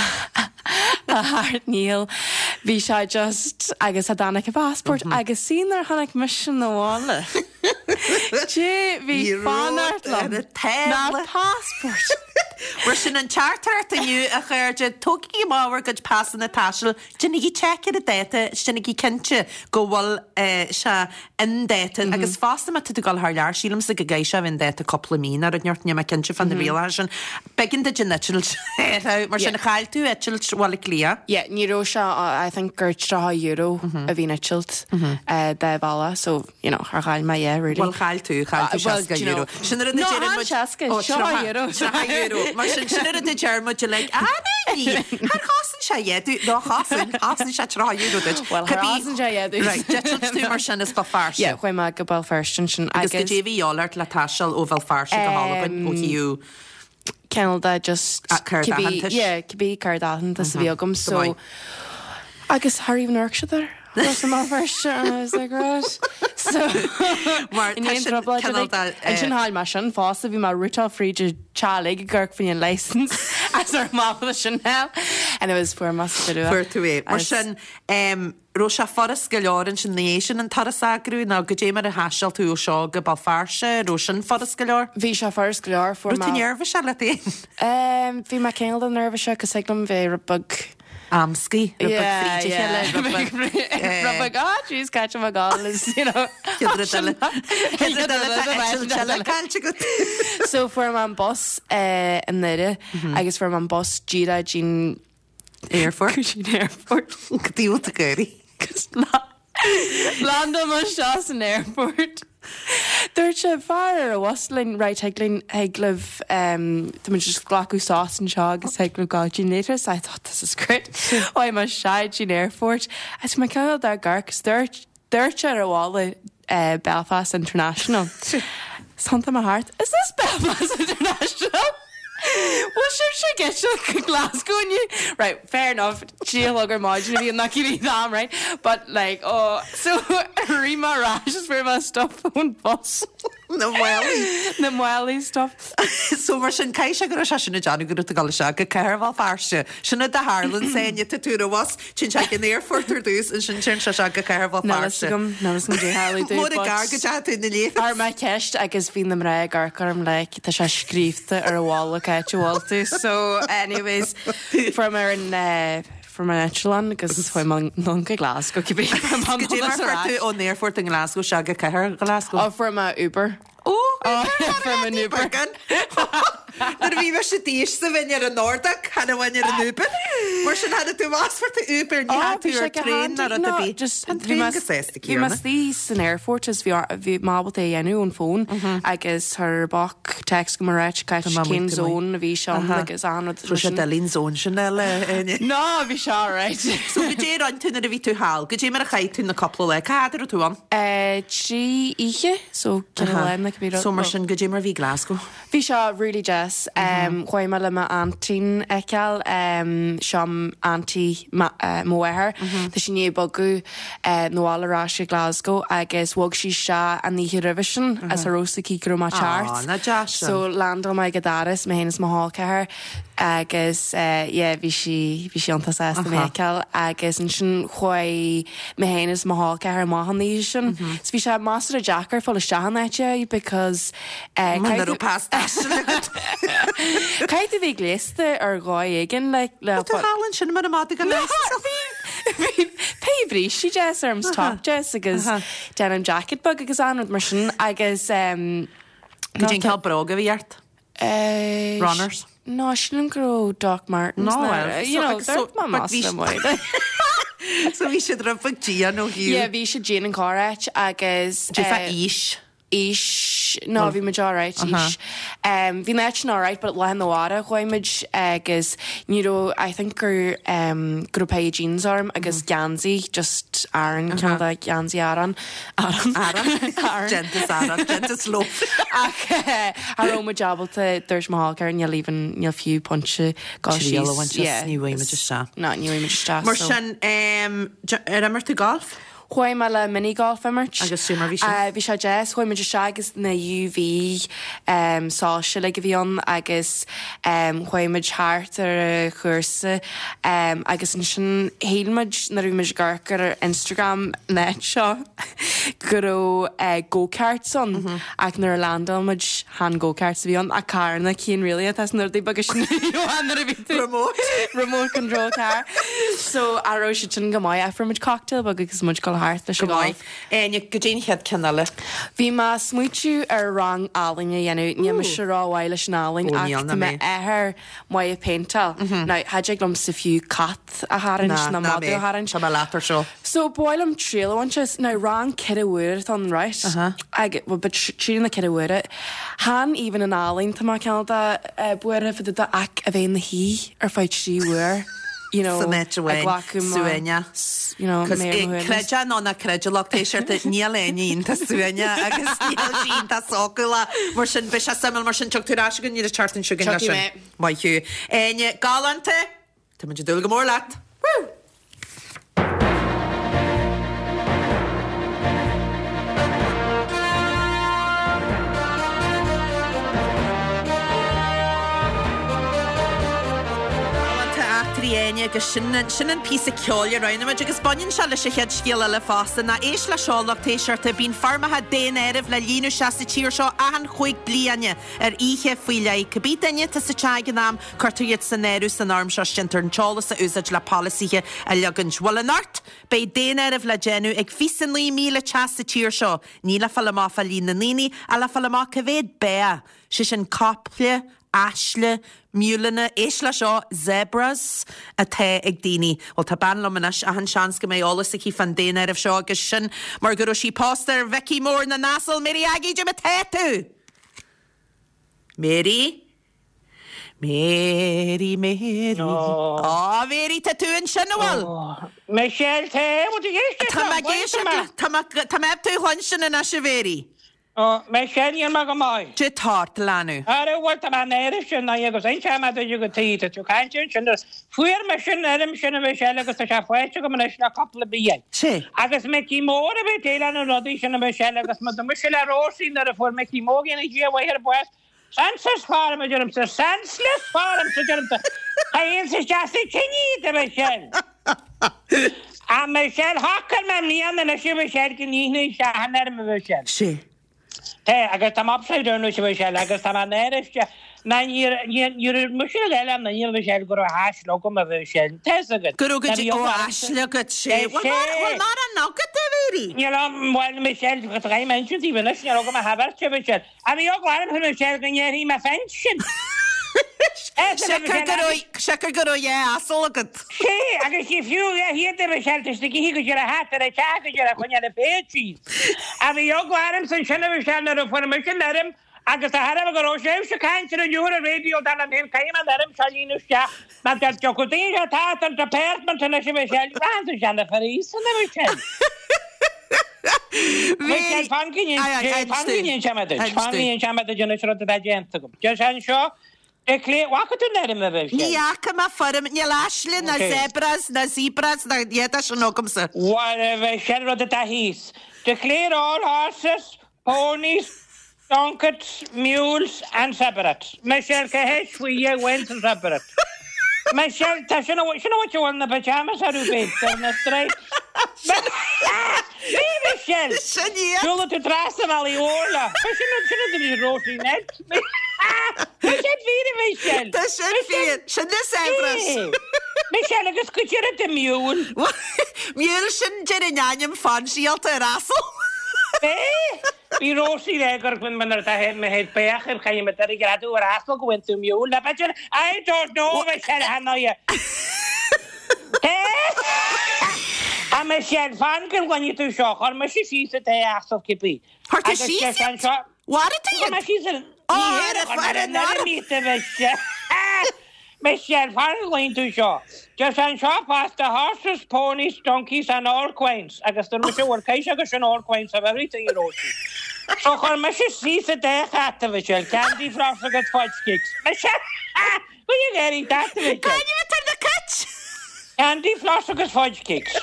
sheacht ndícheall. Bhí sé just agus cha dtáinig an passport agus see nuair a tháinig mise 'na bhaile. Dé bhí fanacht liom ná passport. Mar sin an teachtaireacht inniu, a chairde, tógaigí amach bhur gcuid pasanna taistil, déanaigí check ar an dáta is déanaigí cinnte go bhfuil sé in dáta. Agus fosta má tá tú ag dul thar lear, sílimse go gcaithfidh sé a bheith in dáta cúpla mí nó rud inteacht, níl mé cinnte fá na rialacha sin. B'éigean duit an eitilt a fháil, mar sin chaill tú eitilt Bhaile Átha Cliath. Yeah, ní raibh sé, I think gur €30 a bhí an eitilt dá bhealach, so you know, char chaill mé yeah, really. Bhuel, chaill tú, chaill tú Well, do you know, €60. Sin an rud a No, deireann chan muid. 60, Ó, €30. €30. Mar sin, sin an rud a deir muid uilig, ah, ní, char chosain sé a dhath duit, nó chosain, chosain sé €30 duit. Well, char chosain sé a dhath duit. Right, d'eitil tú mar sin as Béal Feirste. Yeah, chuaigh mé go Béal Feirste ansin Agus agus. goidé a bhí de dhíobháil ort le taisteal ó Bhéal Feirste go hAlbain ó thaobh cineál de just Ah, cárta cibé aitheantais. yeah, cibé cárta aitheantais a bhí agam Go so maith. agus char even amharc siad air Ros i mBéal Feirste and I was like right so Mar in tá aon sin trioblóid cineál uilig. de, eh, Ansin chaill mé sin fosta bhí mé routáil fríd an teaghlaigh ag amharc faoin license as ar mapa sin hell and it was fuair mé sa deireadh Fuair tú é. Mar Agus- sin, em, raibh sé furast go leor ansin ina dhiaidh sin an turas a eagrú nó goidé mar a thaisteal tú ó seo go Béal Feirste, raibh sin furast go leor? Bhí sé furast go leor, fuair Raibh tú mé. neirbhíseach leat féin? Em, bhí mé cineál de neirbhíseach cos thig liom bheith rud beag. Amscaí, rud beag fríd a chéile, rud beag, eh. Rud beag, ah jeez, cá bhfuil mé ag gabháil is, you know. Chéad rud eile, chéad rud eile tá eitilt eile caillte agat. So fuair mé an bus eh, i nDoire agus fuair mé an bus díreach dtí'n Airport. Go dtí'n airport. Go dtí bhfuil tú ag éirí. Agus landáil mé isteach san airport. Dúirt sé fear ar an bhus linn, right, thig linn, thig libh, tá muid just glacadh sos anseo agus thig libh gabháil dtí'n later. So I thought this is great. Chuaigh mé isteach dtí'n airport. Agus bhí mé cineál de ag amharc 'cause dúirt, dúirt sé ar an bhalla Belfast International. Thiontaigh mé thart, is this Belfast International? Bhfuil sibhse ag eitilt go Glasgow inniu? Right, fair enough, 3 a chlog ar maidin a bhí an cibé am, right? But like, oh, so rith mé ar ais is fuair mé stuff ón bus. Na málaí. Na málaí stuff. So mar sin, caithfidh sé go raibh sé sin ag déanamh go raibh tú ag dul isteach go cathair Bhéal Feirste. Sin rud a tharlaíonn Áine, tá tú ar an bhus, téann sé ag an aerfort ar dtús, ansin téann sé isteach go cathair Bhéal Níl fhios Feirste. agam, níl fhios agam goidé tharla domh, Mór an but gar go dteachaigh tú ina leith. Chuir mé ceist agus bhí na mná ag amharc orm like, tá sé scríobhta ar an bhalla cá háit a bhfuil tú. So anyways, fuair mé ar an eh, fuair mé an eitleán agus chuaigh mé anonn go Glasgow cibé. Goidé mar fuair tú ón aerfort i nGlasgow isteach go cathair Glasgow? Ó, fuair mé Uber. Ó, fuair mé an Uber. Nuair a bhí mise d'aois sa bheinn ar an Nordic, chan amháin ar an Uber. Mar sin tháinig tú amach fuair tú Uber, ní tháinig tú ar traein ná rud ar bith. Tá an traein go sásta Bhí mé istigh san aerfort is bhí bhí mé ábalta é a dhéanamh ón bhfón agus chuir boc text chugam ag ráit cá cén zone a bhí sé ann agus achan rud. Raibh sé doiligh an zone sin a fháil. No, bhí sé alright. So goidé a rinne tú nuair a bhí tú thall? Goidé mar a chaith tú na cúpla lá? Cá fhad a raibh tú ann? 3 oíche, so ceithre lá nó cibé rud. So mar sin, goidé mar a bhí Glasgow? Bhí sé really deas. Chuaigh mé le m'aintín a fheiceáil, seo auntie mo mháthair. Tá sí i ndiaidh bogadh 'na bhaile ar ais go Glasgow agus bhog sí isteach an oíche roimhe sin is cha raibh fhios aici go raibh mé ag teacht. Aw, nach deas sin. So landáil mé ag a doras, mé féin is mo chol ceathar agus yeah bhí sí, bhí sí iontach sásta mé a fheiceáil agus ansin chuaigh mé féin is mo chol ceathar amach an oíche sin. So bhí sé measartha deacair fáil isteach in áit because eh Muna raibh pas taistil agat. Caithfidh tú bheith gléasta ar dhóigh éigin like le Tá tú thall ansin mar a madadh go leis. Bhí pé brístí deas orm 's top deas agus denim jacket beag agus an rud mar sin agus em Goidé an cineál bróg a bhí ort? Runners? No, sílim go raibh Doc Martens No, well, you know, so, but bhí So bhí siad rud beag dian ó thaobh. Yeah, bhí siad dian an corráit agus. Dé fá aois? Aois, no, bhí muid alright, aois. Bhí an áit sin alright, but lá arna mhárach chuaigh muid agus ní raibh, I think gur, go raibh pair jeans orm agus geansaí, just Aran, cineál de geansaí Aran. Arán. Arán. Déanta as arán, déanta as loaf. Ach cha raibh muid ábalta, dúirt mo chol ceathar, níl even, níl fiú punt dul síos. Triail a bhaint as, ní bhfaighidh muid isteach. No, ní bhfaighidh muid isteach. Mar sin, ar imir tú golf? Chuaigh mé le mini golf a imirt. Agus goidé mar bhí sin? Bhí sé deas, chuaigh muid isteach agus na UV soilse uilig a bhí ann agus chuaigh muid thart ar an chúrsa agus ansin shíl muid nuair a bhí muid ag amharc ar Instagram an áit seo go raibh go-karts ann ach nuair a landáil muid chan go-karts a bhí ann ach carranna cinn really atá sna rudaí beaga sin nuair a bhí tú Remote. remote control car so a raibh siad sin go maith ach fuair muid cocktail beag agus muid ag dul thart leis Go an maith. golf. Áine, goidé an chéad ceann eile. Bhí mé ag smaoitiú ar rang ealaíne a dhéanamh. Níl mise rómhaith leis an ealaín Ó, níl ach ná tá mé. m'athair maith ag péinteáil. Now, cha dtig liomsa fiú cat a tharraingt Ná, ná ná madadh mé. a tharraingt. Tá mé leat ar seo. So, ba mhaith liom triail a bhaint as. Now, rang 4 uaire atá ann, right? Ag, well, but trí na 4 uaire. Chan even an ealaín tá mé cineál de buartha fá dtaobh de ach a bheith ina shuí ar feadh 3 uair. you know, San áit ag amháin, glacadh mo, suaimhneach. you know, Cos méar mo shuaimhneas. creid é nó ná creid a lucht éisteachta, níl Áine iontach suaimhneach agus níl sí iontach sócúil mar sin beidh sé suimiúil mar sin tiocfaidh tú ar ais chugainn an tseachtain seo chugainn leis Tiocfaidh sin. mé. Maith thú. Áine, galánta! Tá muid ag dúil go mór leat. Woo! Galánta eachtraí Áine agus sin sin an píosa ceoil a roghnaigh muid agus baineann sé leis an chéad scéal eile fosta. Now éist le seo lucht éisteachta, bíonn foirmeacha daonáirimh le líonadh isteach sa tír seo achan chúig bliana ar oíche faoi leith. Cibé duine atá sa teach ag an am, cuirtear iad san áireamh san fhoirm seo is déantar an t-eolas a úsáid le polasaithe a leagaint. Bhuel anocht, beidh daonáireamh le déanamh ag 29,000 teach sa tír seo. Ní le fáil amach fá líon na ndaoine, ach le fáil amach cá mhéad beá, sé sin caiple, aisle, miúileanna, éist le seo, zebras, atá ag daoine. Bhuel, tá bean liom anois, achan seans go mbeidh eolas aici fán daonáireamh seo agus sin mar go raibh sí pósta ar Mhicí Mór na nAsal, Mary Aggie, goidé mar tá tú? Mary? Mary, Mary. Á, Mary, tá tú ansin, an bhfuil? Michelle, tá, bhfuil tú ag éisteacht Tá liom? mé ag éisteacht leat, tá mé, tá mé tú a chluinstin anois, a Mhary. Ó, Michelle, níl mé go maith. Goidé tá ort, a leanbh. Ara, bhuel, tá mé in áirithe sin, agus inseoidh mé duit go tí, tá tú ag caint ansin, fuair mé sin fhoirm sin, a Mhichelle, agus tá sé faighte agam anois le cúpla bliain. Sea. Agus Micí Mór a bhí ag déileáil na rudaí sin, a Mhichelle, agus mo mise le Róisín nuair a fuair Micí Mór go ndéana Dia a mhaith air bás, Census form, a deirimse, senseless form, a deirimse. Cha théann sé isteach sa tine iad, a Mhichelle. A Mhichelle, shocair mé i mbliana anois, a Mhichelle, go líonfainn isteach an fhoirm, a Mhichelle. Sea. Tá, agus tá mé upside down anois, a Mhichelle, agus tá mé in áirithe. Ná ní raibh mise ag eile ná ní raibh sé go raibh aisle agam a bheith sin. Tá fhios agat. Go raibh go dtí ó aisle agat sé. Bhfuil mórán agat a Mhéirí? Níl ann, bhuel Michelle, tá mé inse daoibh anois, níl agam ach beirt a Mhichelle. A bhí eagla orm a Michelle go ndéarfaidh mé phinsean. Siocair go raibh, siocair go raibh dhá asal agat. Sé, agus ní fiú a dhath iad a Michelle, tá siad ag ithe go dtí a hat ar an teach go dtí a choinneáil a phéit síos. A bhí eagla ormsa ansin a Michelle nuair a fuair mise an fhoirm agus de thairbhe go raibh sibhse ag caint ar an uair ar raidió dar liom féin caithfidh mé an fhoirm seo a líonadh isteach mar dá dtiocfadh daoine seo thart an department anois a Michelle, rachainnse isteach na foraoiseanna a Michelle. Michelle, fan go n-inseoidh mé duit, fan go n-inseoidh mé duit anois rud atá déanta agam. Deir sé anseo, Declare, bhfaca tú an fhoirm a Mhichelle? Ní fhaca mé foirm, níl aisle ná zebras ná zebras ná a dhath de sin agamsa. Bhuel, a Mhichelle, rud atá thíos. Declare all horses, ponies, donkeys, mules and separate. Michelle, cá háit faoi dhia bhain san separate? Michelle, tá sin a sin a bhfuil bhfuil na pyjamas orthu b'fhéidir, ar na stripes. Bhí Michelle! Sin iad! Siúlann tú trasna an bhealaigh mhóir leo. Sin sin a bhí Róisín Ned. Tá sin fíor a Michelle! Tá sin fíor! Sin na zebras! Michelle, agus go deireadh de mule. Mule sin deir an ainm fainsialta ar asal. Bhí! Bhí Róisín le gur nuair atá mé ag féach ar chaithfidh mé dul ag greadadh ar asal go bhfuil tú mule ná b'fhéidir I don't know Michelle Hanoia. A Michelle, fan go gcluinfidh tú seo, chuir mise síos an dá asal cibé. Chuir tú síos iad? Mharaigh tú iad? Chuir mé síos an... Ní hé, chuir mé an fhoirm iad a Mhichelle. Michelle, fan go gcluinfidh tú seo. Deir sé anseo fosta, horses, ponies, donkeys and all quines agus dúirt mise bhuel caithfidh sé gur sin all quines of everything a Róisín. So chuir mise síos an dá chat a Mhichelle, candy floss agus fudge cakes. Michelle, Go dtí an dat a Mhichelle. Cá bhfuil na cait? Candy floss agus fudge cakes.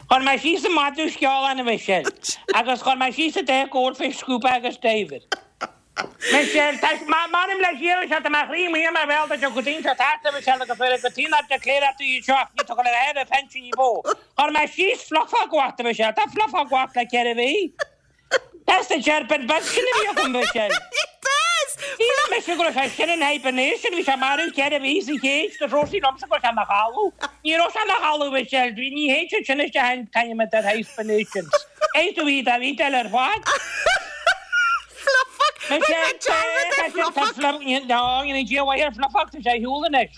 Chuir mé síos an madadh sceolán a Mhichelle agus chuir mé síos an dá goldfish scuba agus diver. Michelle, Tá, m'anam le Dia, Michelle, tá mo chroí amuigh as mo bhéal dá dtiocfadh daoine seo thart, a Mhichelle, agus bheadh go tí nár declare tú iad seo ach ní tú le bheith ar phinsean ní bó. Chuir mé síos Fluffog uait, a Mhichelle, tá Fluffog uait le 4 mhí. That's the serpent beag sin a bhí agam, Michelle. Shíl mise go raibh sé sin in hibernation, bhí sé marbh 4 mhí sa chéid, dúirt Róisín liomsa go raibh sé ina chodladh. Ní raibh sé ina chodladh, Michelle, ní théann siad sin isteach in kind of hibernations. Caithfidh tú iad a bhídeáil ar fad. Fluffog! Rinne mé dearmad ar Fluffog! No, ní Dia mhaith ar Fluffog, tá sé ar shiúl anois.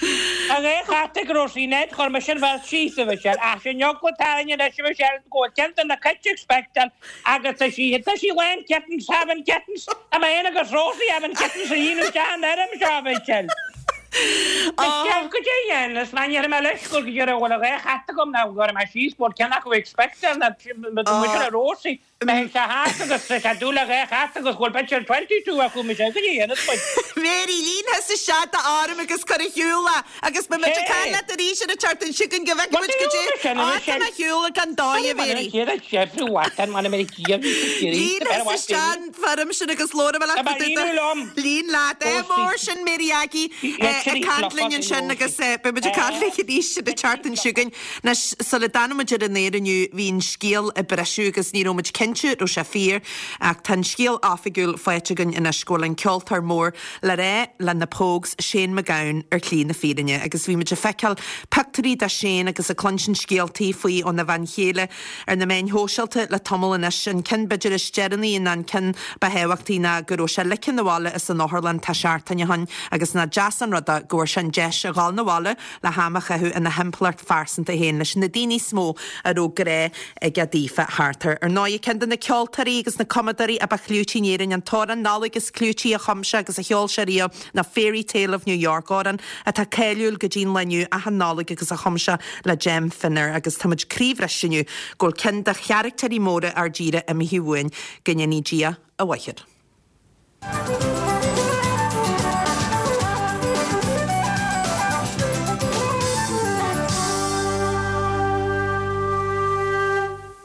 Tá dhá chat ag Róisín Ned, chuir mise an bheirt síos, a Mhichelle, ach sin eagla atá orainn anois, a Mhichelle, go bhfuil ceann de na cait ag spectáil agus tá sí, tá sí lán kittens, having kittens, tá mé féin agus Róisín having kittens a líonadh isteach an fhoirm seo, a Mhichelle. Michelle, goidé a dhéanas mé, ní raibh mé leis gur go deireadh a bhfuil dhá chat agam ná go raibh mé síos, go bhfuil ceann acu ag spectáil ná mise le Róisín. Beidh sé thart agus tá sé dúil le dhá chat agus go bhfuil b'fhéidir 22 acu mise go dtí dhéanfas muid. Mary, líon thusa isteach d'fhoirm agus cuir ar shiúl é agus beidh muid ag caint leat arís ar an tseachtain seo chugainn go bhfeicfidh muid goidé tá mé ar shiúl gan dóigh a Mary. Líon thusa isteach an foirm sin agus labhróidh mé leat go dtí Líon leat. Ádh mór sin Mary Aggie ag caint linn ansin agus beidh muid ag caint léi arís ar an tseachtain seo chugainn. Anois, sula dtáinig muid ar an aer inniu, bhí an scéal ag briseadh agus ní raibh muid cinnte raibh sé fíor, ach tá an scéal oifigiúil faighte againn anois go bhfuil an ceoltóir mór le rá le na Pogues, Shane MacGowan, ar shlí na fírinne. Agus bhí muid ag feiceáil pictiúirí de Shane agus ag cluinstin scéaltaí faoi óna bhean chéile ar na meáin shóisialta le tamall anois. An ceann b'fhéidir is deireanaí ná an ceann ba thábhachtaí ná go raibh sé ligthe 'na bhaile as an otharlann tá seachtain ó shin agus nach deas an rud é go bhfuair sé an deis a dhul 'na bhaile le ham a chaitheamh ina thimpeallacht phearsanta féin leis na daoine is mó a raibh grá aige daofa thart air. Ar ndóigh, ceann de na ceoltóirí agus na cumadóirí a ba chlúití in Éirinn, an t-amhrán Nollag is clúití a chum sé agus a cheol sé riamh ná Fairy Tale of New York, amhrán atá cáiliúil go dtí an lá inniu achan Nollaig agus a chum sé le Jem Finer agus tá muid croíbhriste inniu go bhfuil ceann de charactéirí móra ár dtíre imithe uainn, go ndéanaí Dia a mhaith air.